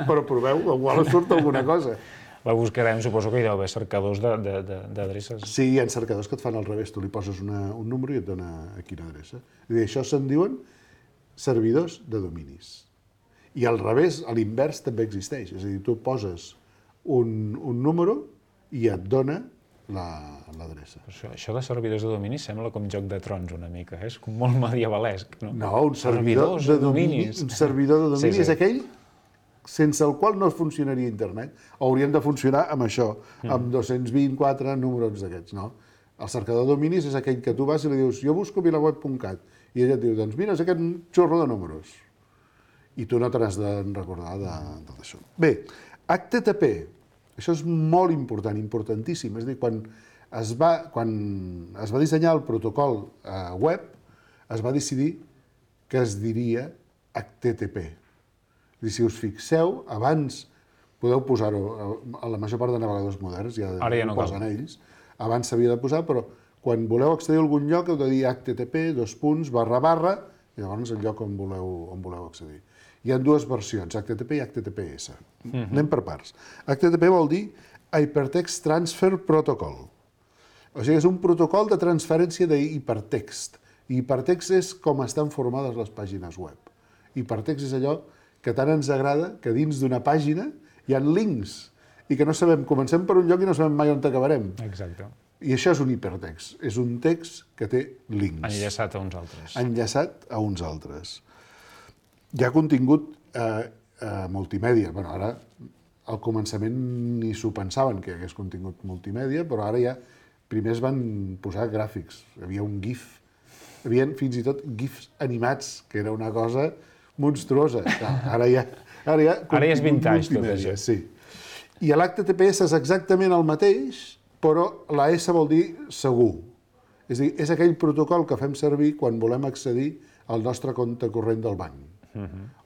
Però proveu, igual surt alguna cosa. La buscarem, suposo que hi deu haver cercadors d'adreces. Sí, hi ha cercadors que et fan al revés. Tu li poses un número i et dona a quina adreça. És a dir, això se'n diuen servidors de dominis. I al revés, a l'invers també existeix. És a dir, tu poses un número i et dona l'adreça. Això de servidors de domini sembla com Joc de Trons una mica, és com molt medievalesc, no? No, un servidor de domini és aquell sense el qual no funcionaria internet. Haurien de funcionar amb això, amb 224 números d'aquests, no? El cercador de dominis és aquell que tu vas i li dius jo busco vilaweb.cat i ella et diu, doncs mira, és aquest xorro de números. I tu no te n'has de recordar d'això. Bé, HTTP, això és molt important, importantíssim. És a dir, quan es va dissenyar el protocol web, es va decidir que es diria HTTP. És a dir, si us fixeu, abans podeu posar-ho, a la major part de navegadors moderns, Ara ja no ho posen ells, abans s'havia de posar, però quan voleu accedir a algun lloc heu de dir http, // i llavors el lloc on voleu accedir. Hi ha dues versions, HTTP i HTTPS. Anem per parts. HTTP vol dir Hypertext Transfer Protocol. O sigui, és un protocol de transferència d'hipertext. Hipertext és com estan formades les pàgines web. Hipertext és allò que tant ens agrada que dins d'una pàgina hi ha links i que no sabem, comencem per un lloc i no sabem mai on acabarem. Exacte. I això és un hipertext. És un text que té links. Enllaçat a uns altres. Enllaçat a uns altres. Hi ha contingut multimèdia. Bé, ara, al començament ni s'ho pensaven que hi hagués contingut multimèdia, però ara ja primer es van posar gràfics. Hi havia un GIF. Hi havia fins i tot GIFs animats, que era una cosa monstruosa. Ara ja és vintage tot això. Sí. I l'HTTPS és exactament el mateix, però la S vol dir segur. És a dir, és aquell protocol que fem servir quan volem accedir al nostre compte corrent del banc.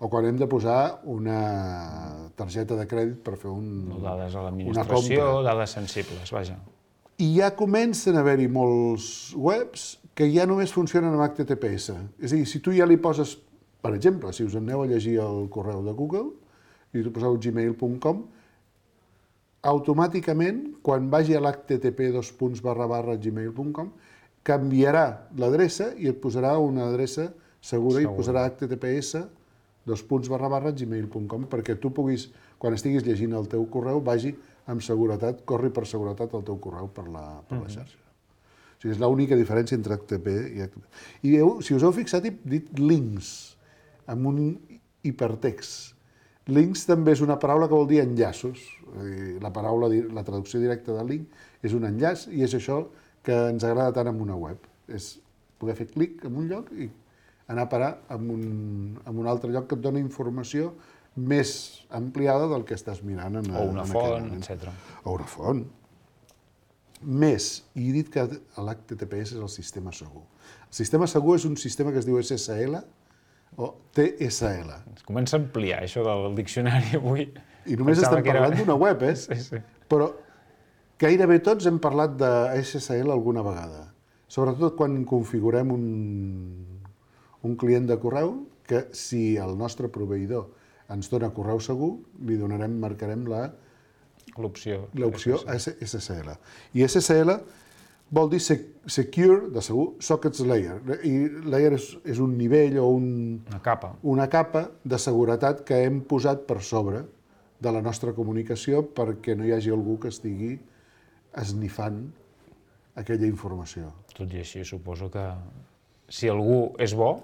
O quan hem de posar una targeta de crèdit per fer dades a l'administració, dades sensibles, vaja. I ja comencen a haver-hi molts webs que ja només funcionen amb HTTPS. És a dir, si tu ja li poses, per exemple, si us aneu a llegir el correu de Google i tu poseu gmail.com, automàticament, quan vagi a l'http://gmail.com, canviarà l'adreça i et posarà una adreça segura i posarà https://gmail.com perquè tu puguis, quan estiguis llegint el teu correu, vagi amb seguretat, corri per seguretat el teu correu per la xarxa. O sigui, és l'única diferència entre HTTP i HTTP. I si us heu fixat, he dit links, amb un hipertext. Links també és una paraula que vol dir enllaços. La traducció directa de link és un enllaç i és això que ens agrada tant en una web. És poder fer clic en un lloc i anar a parar en un altre lloc que et dona informació més ampliada del que estàs mirant. O una font, etc. O una font. Més, i he dit que l'HTTPS és el sistema segur. El sistema segur és un sistema que es diu SSL, o TSL. Es comença a ampliar això del diccionari avui. I només estem parlant d'una web, Sí. Però gairebé tots hem parlat de SSL alguna vegada. Sobretot quan configurem un client de correu, que si el nostre proveïdor ens dona correu segur, marcarem l'opció SSL. I SSL vol dir secure, de segur, sockets layer. I layer és un nivell o una capa de seguretat que hem posat per sobre de la nostra comunicació perquè no hi hagi algú que estigui esnifant aquella informació. Tot i així, suposo que si algú és bo,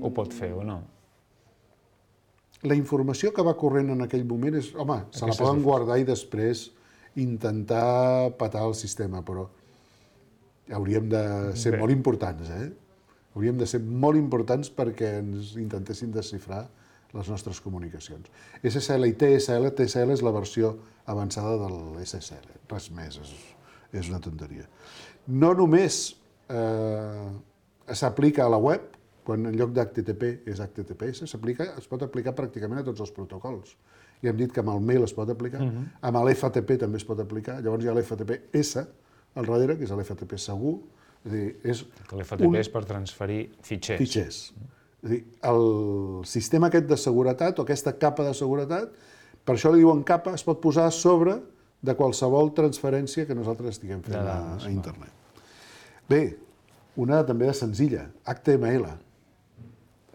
ho pot fer o no? La informació que va corrent en aquell moment és... Home, se la poden guardar i després intentar petar el sistema, però hauríem de ser molt importants, Hauríem de ser molt importants perquè ens intentessin desxifrar les nostres comunicacions. SSL i TSL, TSL és la versió avançada de l'SSL, res més, és una tonteria. No només s'aplica a la web, quan en lloc d'HTTP és HTTPS, es pot aplicar pràcticament a tots els protocols. Ja hem dit que amb el mail es pot aplicar, amb l'FTP també es pot aplicar, llavors hi ha l'FTP-S al darrere, que és l'FTP segur. L'FTP és per transferir fitxers. És a dir, el sistema aquest de seguretat, o aquesta capa de seguretat, per això li diuen capa, es pot posar a sobre de qualsevol transferència que nosaltres estiguem fent a internet. Bé, una també de senzilla, HTML.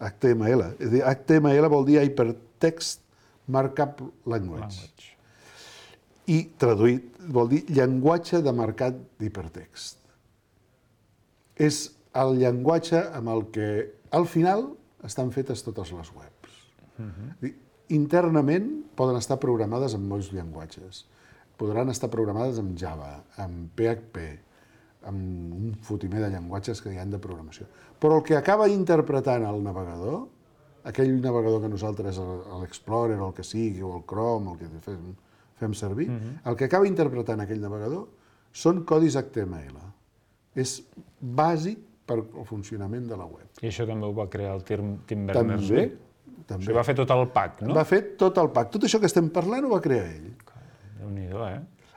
HTML. És a dir, HTML vol dir Hypertext Markup Language. I traduït vol dir llenguatge de marcat d'hipertext. És el llenguatge amb el que al final estan fetes totes les webs. Internament poden estar programades en molts llenguatges. Podran estar programades en Java, en PHP, amb un fotimer de llenguatges que hi ha de programació. Però el que acaba interpretant el navegador aquell navegador que nosaltres, l'Explorer, o el que sigui, o el Chrome, el que fem servir, el que acaba interpretant aquell navegador són codis HTML. És bàsic per al funcionament de la web. I això també ho va crear el Tim També, Berners-Lee? O sigui, va fer tot el pack, no? Va fer tot el pack. Tot això que estem parlant ho va crear ell. Déu-n'hi-do,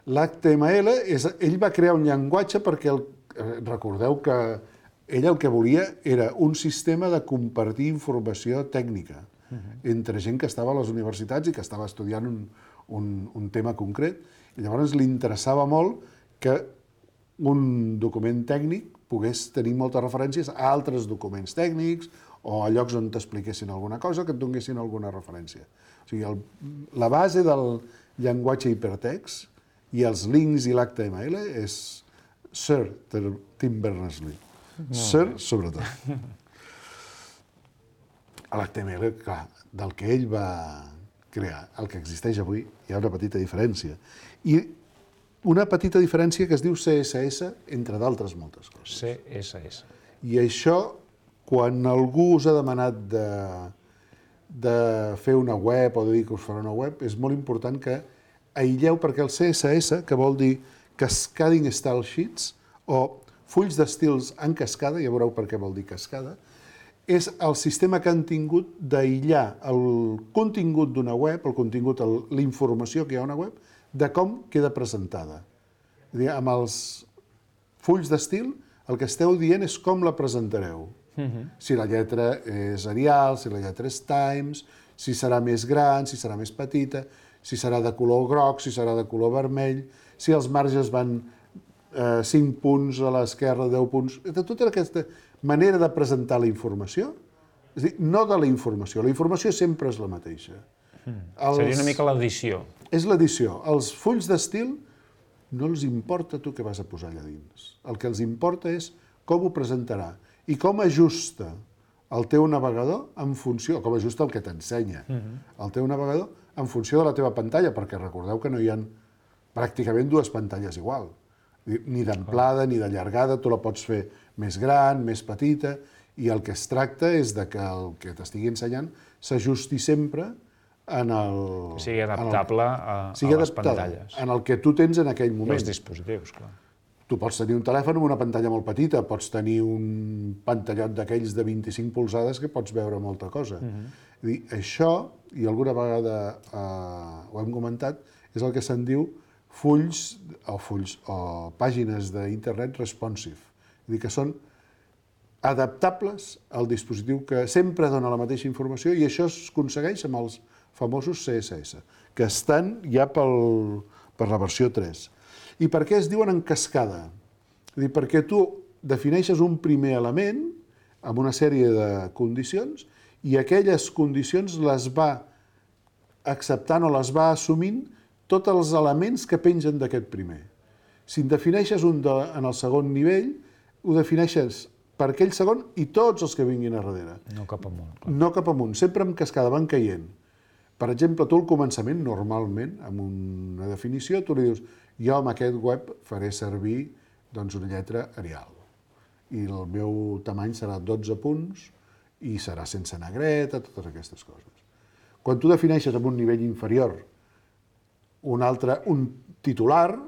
L'HTML, ell va crear un llenguatge perquè, recordeu que ell el que volia era un sistema de compartir informació tècnica entre gent que estava a les universitats i que estava estudiant un tema concret. I llavors li interessava molt que un document tècnic pogués tenir moltes referències a altres documents tècnics o a llocs on t'expliquessin alguna cosa que et donessin alguna referència. O sigui, la base del llenguatge hipertext i els links i l'HTML és Sir Tim Berners-Lee. Sir, sobretot. L'HTML, clar, del que ell va crear, el que existeix avui, hi ha una petita diferència. I una petita diferència que es diu CSS, entre d'altres moltes coses. CSS. I això, quan algú us ha demanat de fer una web o de dir que us farà una web, és molt important que aïlleu, perquè el CSS, que vol dir Cascading Style Sheets, o fulls d'estils en cascada, ja veureu per què vol dir cascada, és el sistema que han tingut d'aïllar el contingut d'una web, el contingut, la informació que hi ha a una web, de com queda presentada. És a dir, amb els fulls d'estil, el que esteu dient és com la presentareu. Si la lletra és Arial, si la lletra és Times, si serà més gran, si serà més petita, si serà de color groc, si serà de color vermell, si els marges van 5 punts a l'esquerra, 10 punts... Tota aquesta manera de presentar la informació, és a dir, no de la informació sempre és la mateixa. Seria una mica l'edició. És l'edició. Els fulls d'estil no els importa tu què vas a posar allà dins. El que els importa és com ho presentarà i com ajusta el teu navegador en funció, com ajusta el que t'ensenya el teu navegador en funció de la teva pantalla, perquè recordeu que no hi ha pràcticament dues pantalles igual. Ni d'amplada ni de llargada, tu la pots fer més gran, més petita, i el que es tracta és que el que t'estigui ensenyant s'ajusti sempre en el... Que sigui adaptable a les pantalles. En el que tu tens en aquell moment. Els dispositius, clar. Tu pots tenir un telèfon amb una pantalla molt petita, pots tenir un pantallot d'aquells de 25 polzades que pots veure molta cosa. És dir, això, i alguna vegada ho hem comentat, és el que se'n diu fulls o pàgines d'internet responsive. És dir, que són adaptables al dispositiu que sempre dona la mateixa informació, i això es aconsegueix amb els famosos CSS, que estan ja per la versió 3. I per què es diuen en cascada? És dir, perquè tu defineixes un primer element amb una sèrie de condicions i aquelles condicions les va acceptant o les va assumint tots els elements que pengen d'aquest primer. Si en defineixes un en el segon nivell, ho defineixes per aquell segon i tots els que vinguin a darrere. No cap amunt. Clar. No cap amunt, sempre en cascada, van caient. Per exemple, tu al començament, normalment, amb una definició, tu li dius jo amb aquest web faré servir doncs, una lletra Arial. I el meu tamany serà 12 punts i serà sense negreta, totes aquestes coses. Quan tu defineixes amb un nivell inferior un titular,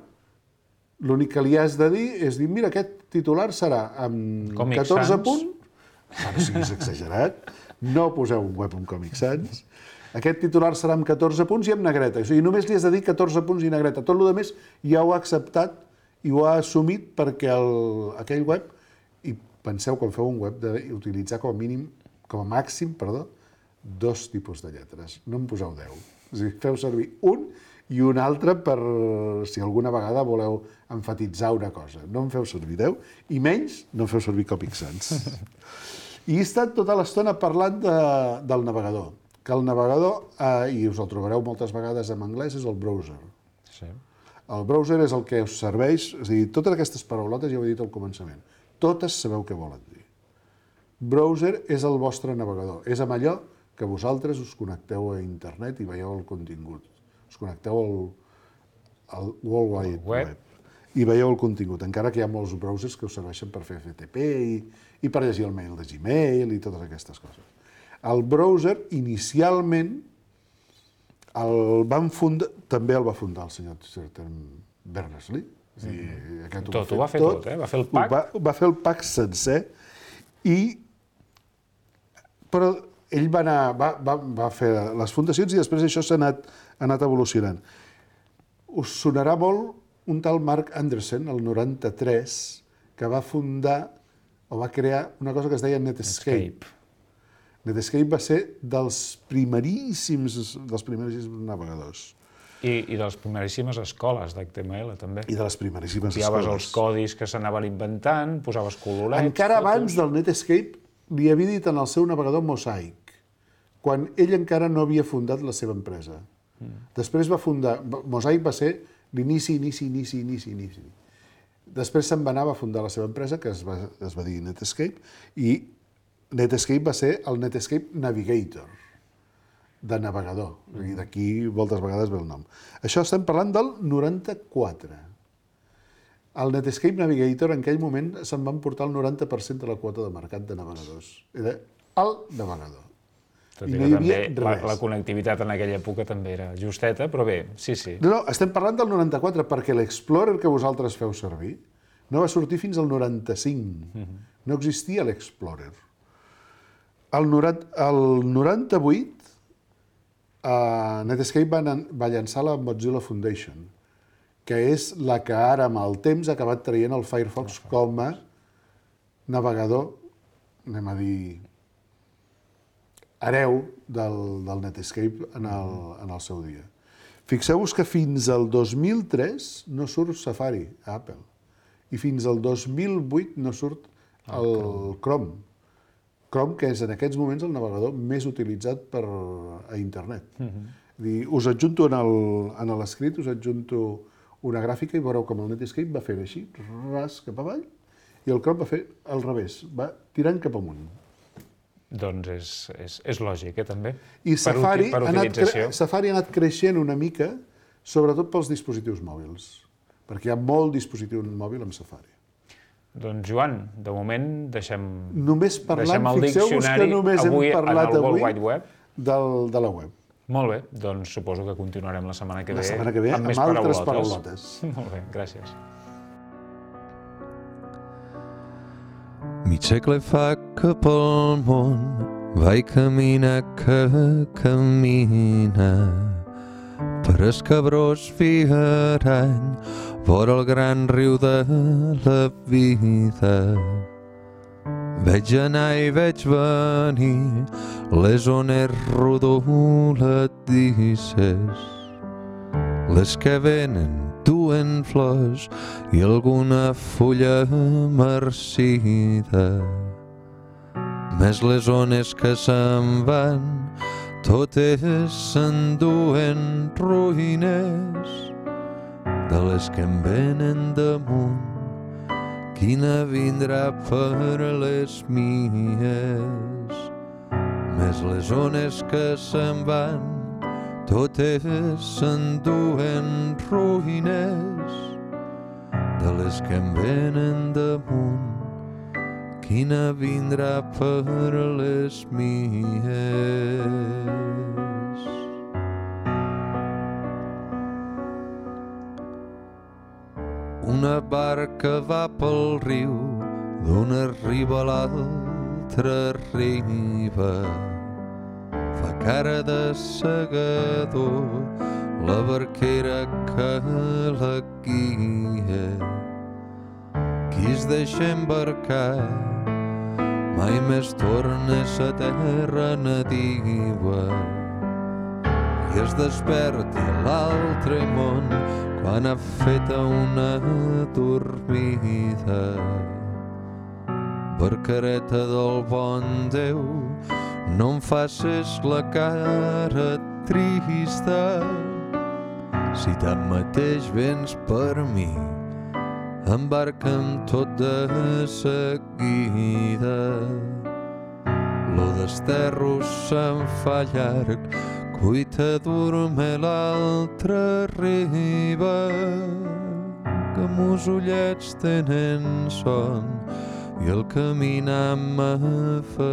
l'únic que li has de dir és dir, mira, aquest titular serà amb Comic 14 Sans. punts. No siguis exagerat, no poseu un web amb Comic Sans. Aquest titular serà amb 14 punts i amb negreta. O sigui, només li has de dir 14 punts i negreta. Tot el més ja ho ha acceptat i ho ha assumit perquè aquell web, i penseu quan feu un web, d'utilitzar com a màxim, 2 tipus de lletres. No en poseu 10. És a dir, feu servir un i un altre per si alguna vegada voleu emfatitzar una cosa. No en feu servir 10 i menys no en feu servir Comic Sans. I he estat tota l'estona parlant del navegador, que el navegador, i us el trobareu moltes vegades en anglès, és el browser. Sí. El browser és el que us serveix, és a dir, totes aquestes paraulotes ja ho he dit al començament, totes sabeu què volen dir. Browser és el vostre navegador, és amb allò que vosaltres us connecteu a internet i veieu el contingut. Us connecteu al World Wide Web i veieu el contingut, encara que hi ha molts browsers que us serveixen per fer FTP i per llegir el mail de Gmail i totes aquestes coses. El browser, inicialment, també el va fundar el senyor Berners-Lee. Tot, ho va fer tot, va fer el PAC. Va fer el PAC sencer, però ell va fer les fundacions i després això s'ha anat evolucionant. Us sonarà molt un tal Mark Anderson, el 93, que va fundar o va crear una cosa que es deia Netscape. Netscape va ser dels primeríssims navegadors. I de les primeríssimes escoles d'HTML, també. I de les primeríssimes escoles. Copiaves els codis que s'anaven inventant, posaves colorets... Encara abans del Netscape li havia dit en el seu navegador Mosaic, quan ell encara no havia fundat la seva empresa. Després va fundar... Mosaic va ser l'inici. Després se'n va anar a fundar la seva empresa, que es va dir Netscape, i Netscape va ser el Netscape Navigator, de navegador. I d'aquí moltes vegades ve el nom. Això estem parlant del 94. El Netscape Navigator en aquell moment se'n van portar el 90% de la quota de mercat de navegadors. Era el navegador. Tot i que també la connectivitat en aquella època també era justeta, però bé, sí. No, estem parlant del 94, perquè l'Explorer que vosaltres feu servir no va sortir fins al 95. No existia l'Explorer. El 98, Netscape va llançar la Mozilla Foundation, que és la que ara, amb el temps, ha acabat traient el Firefox com a navegador, anem a dir, hereu del Netscape en el seu dia. Fixeu-vos que fins al 2003 no surt Safari a Apple i fins al 2008 no surt el Chrome. Chrome, que és en aquests moments el navegador més utilitzat a internet. Us adjunto en l'escrit, us adjunto una gràfica i veureu com el Netscape va fer així, ras cap avall, i el Chrome va fer al revés, va tirant cap amunt. Doncs és lògic, també. I Safari ha anat creixent una mica, sobretot pels dispositius mòbils, perquè hi ha molt dispositiu mòbil amb Safari. Doncs, Joan, de moment deixem el diccionari avui en el World Wide Web de la web. Molt bé, doncs suposo que continuarem la setmana que ve amb més altres paraulotes. Molt bé, gràcies. Mig segle fa que pel món vaig caminar que camina per escabrós fiarany vora el gran riu de la vida. Veig anar i veig venir les ones rodoladisses, les que venen duen flors i alguna fulla marcida. Més les ones que se'n van, totes s'enduen ruïnes de les que em venen damunt. Quina vindrà per les mies? Més les ones que se'n van, totes s'enduen ruïnes de les que em venen damunt. Quina vindrà per les mies? Una barca va pel riu, d'una riba a l'altra riba. Fa cara de segador la barquera que la guia. Qui es deixa embarcar mai més torna a sa terra nadiua i es desperta a l'altre món quan ha fet una dormida. Barcareta del bon Déu, no em facis la cara trista. Si tanmateix vens per mi, embarca'm tot de seguida. Lo desterro se'n fa llarg, cuita dorme l'altra riba, que mos ullets tenen son, i el caminar m'afatiga.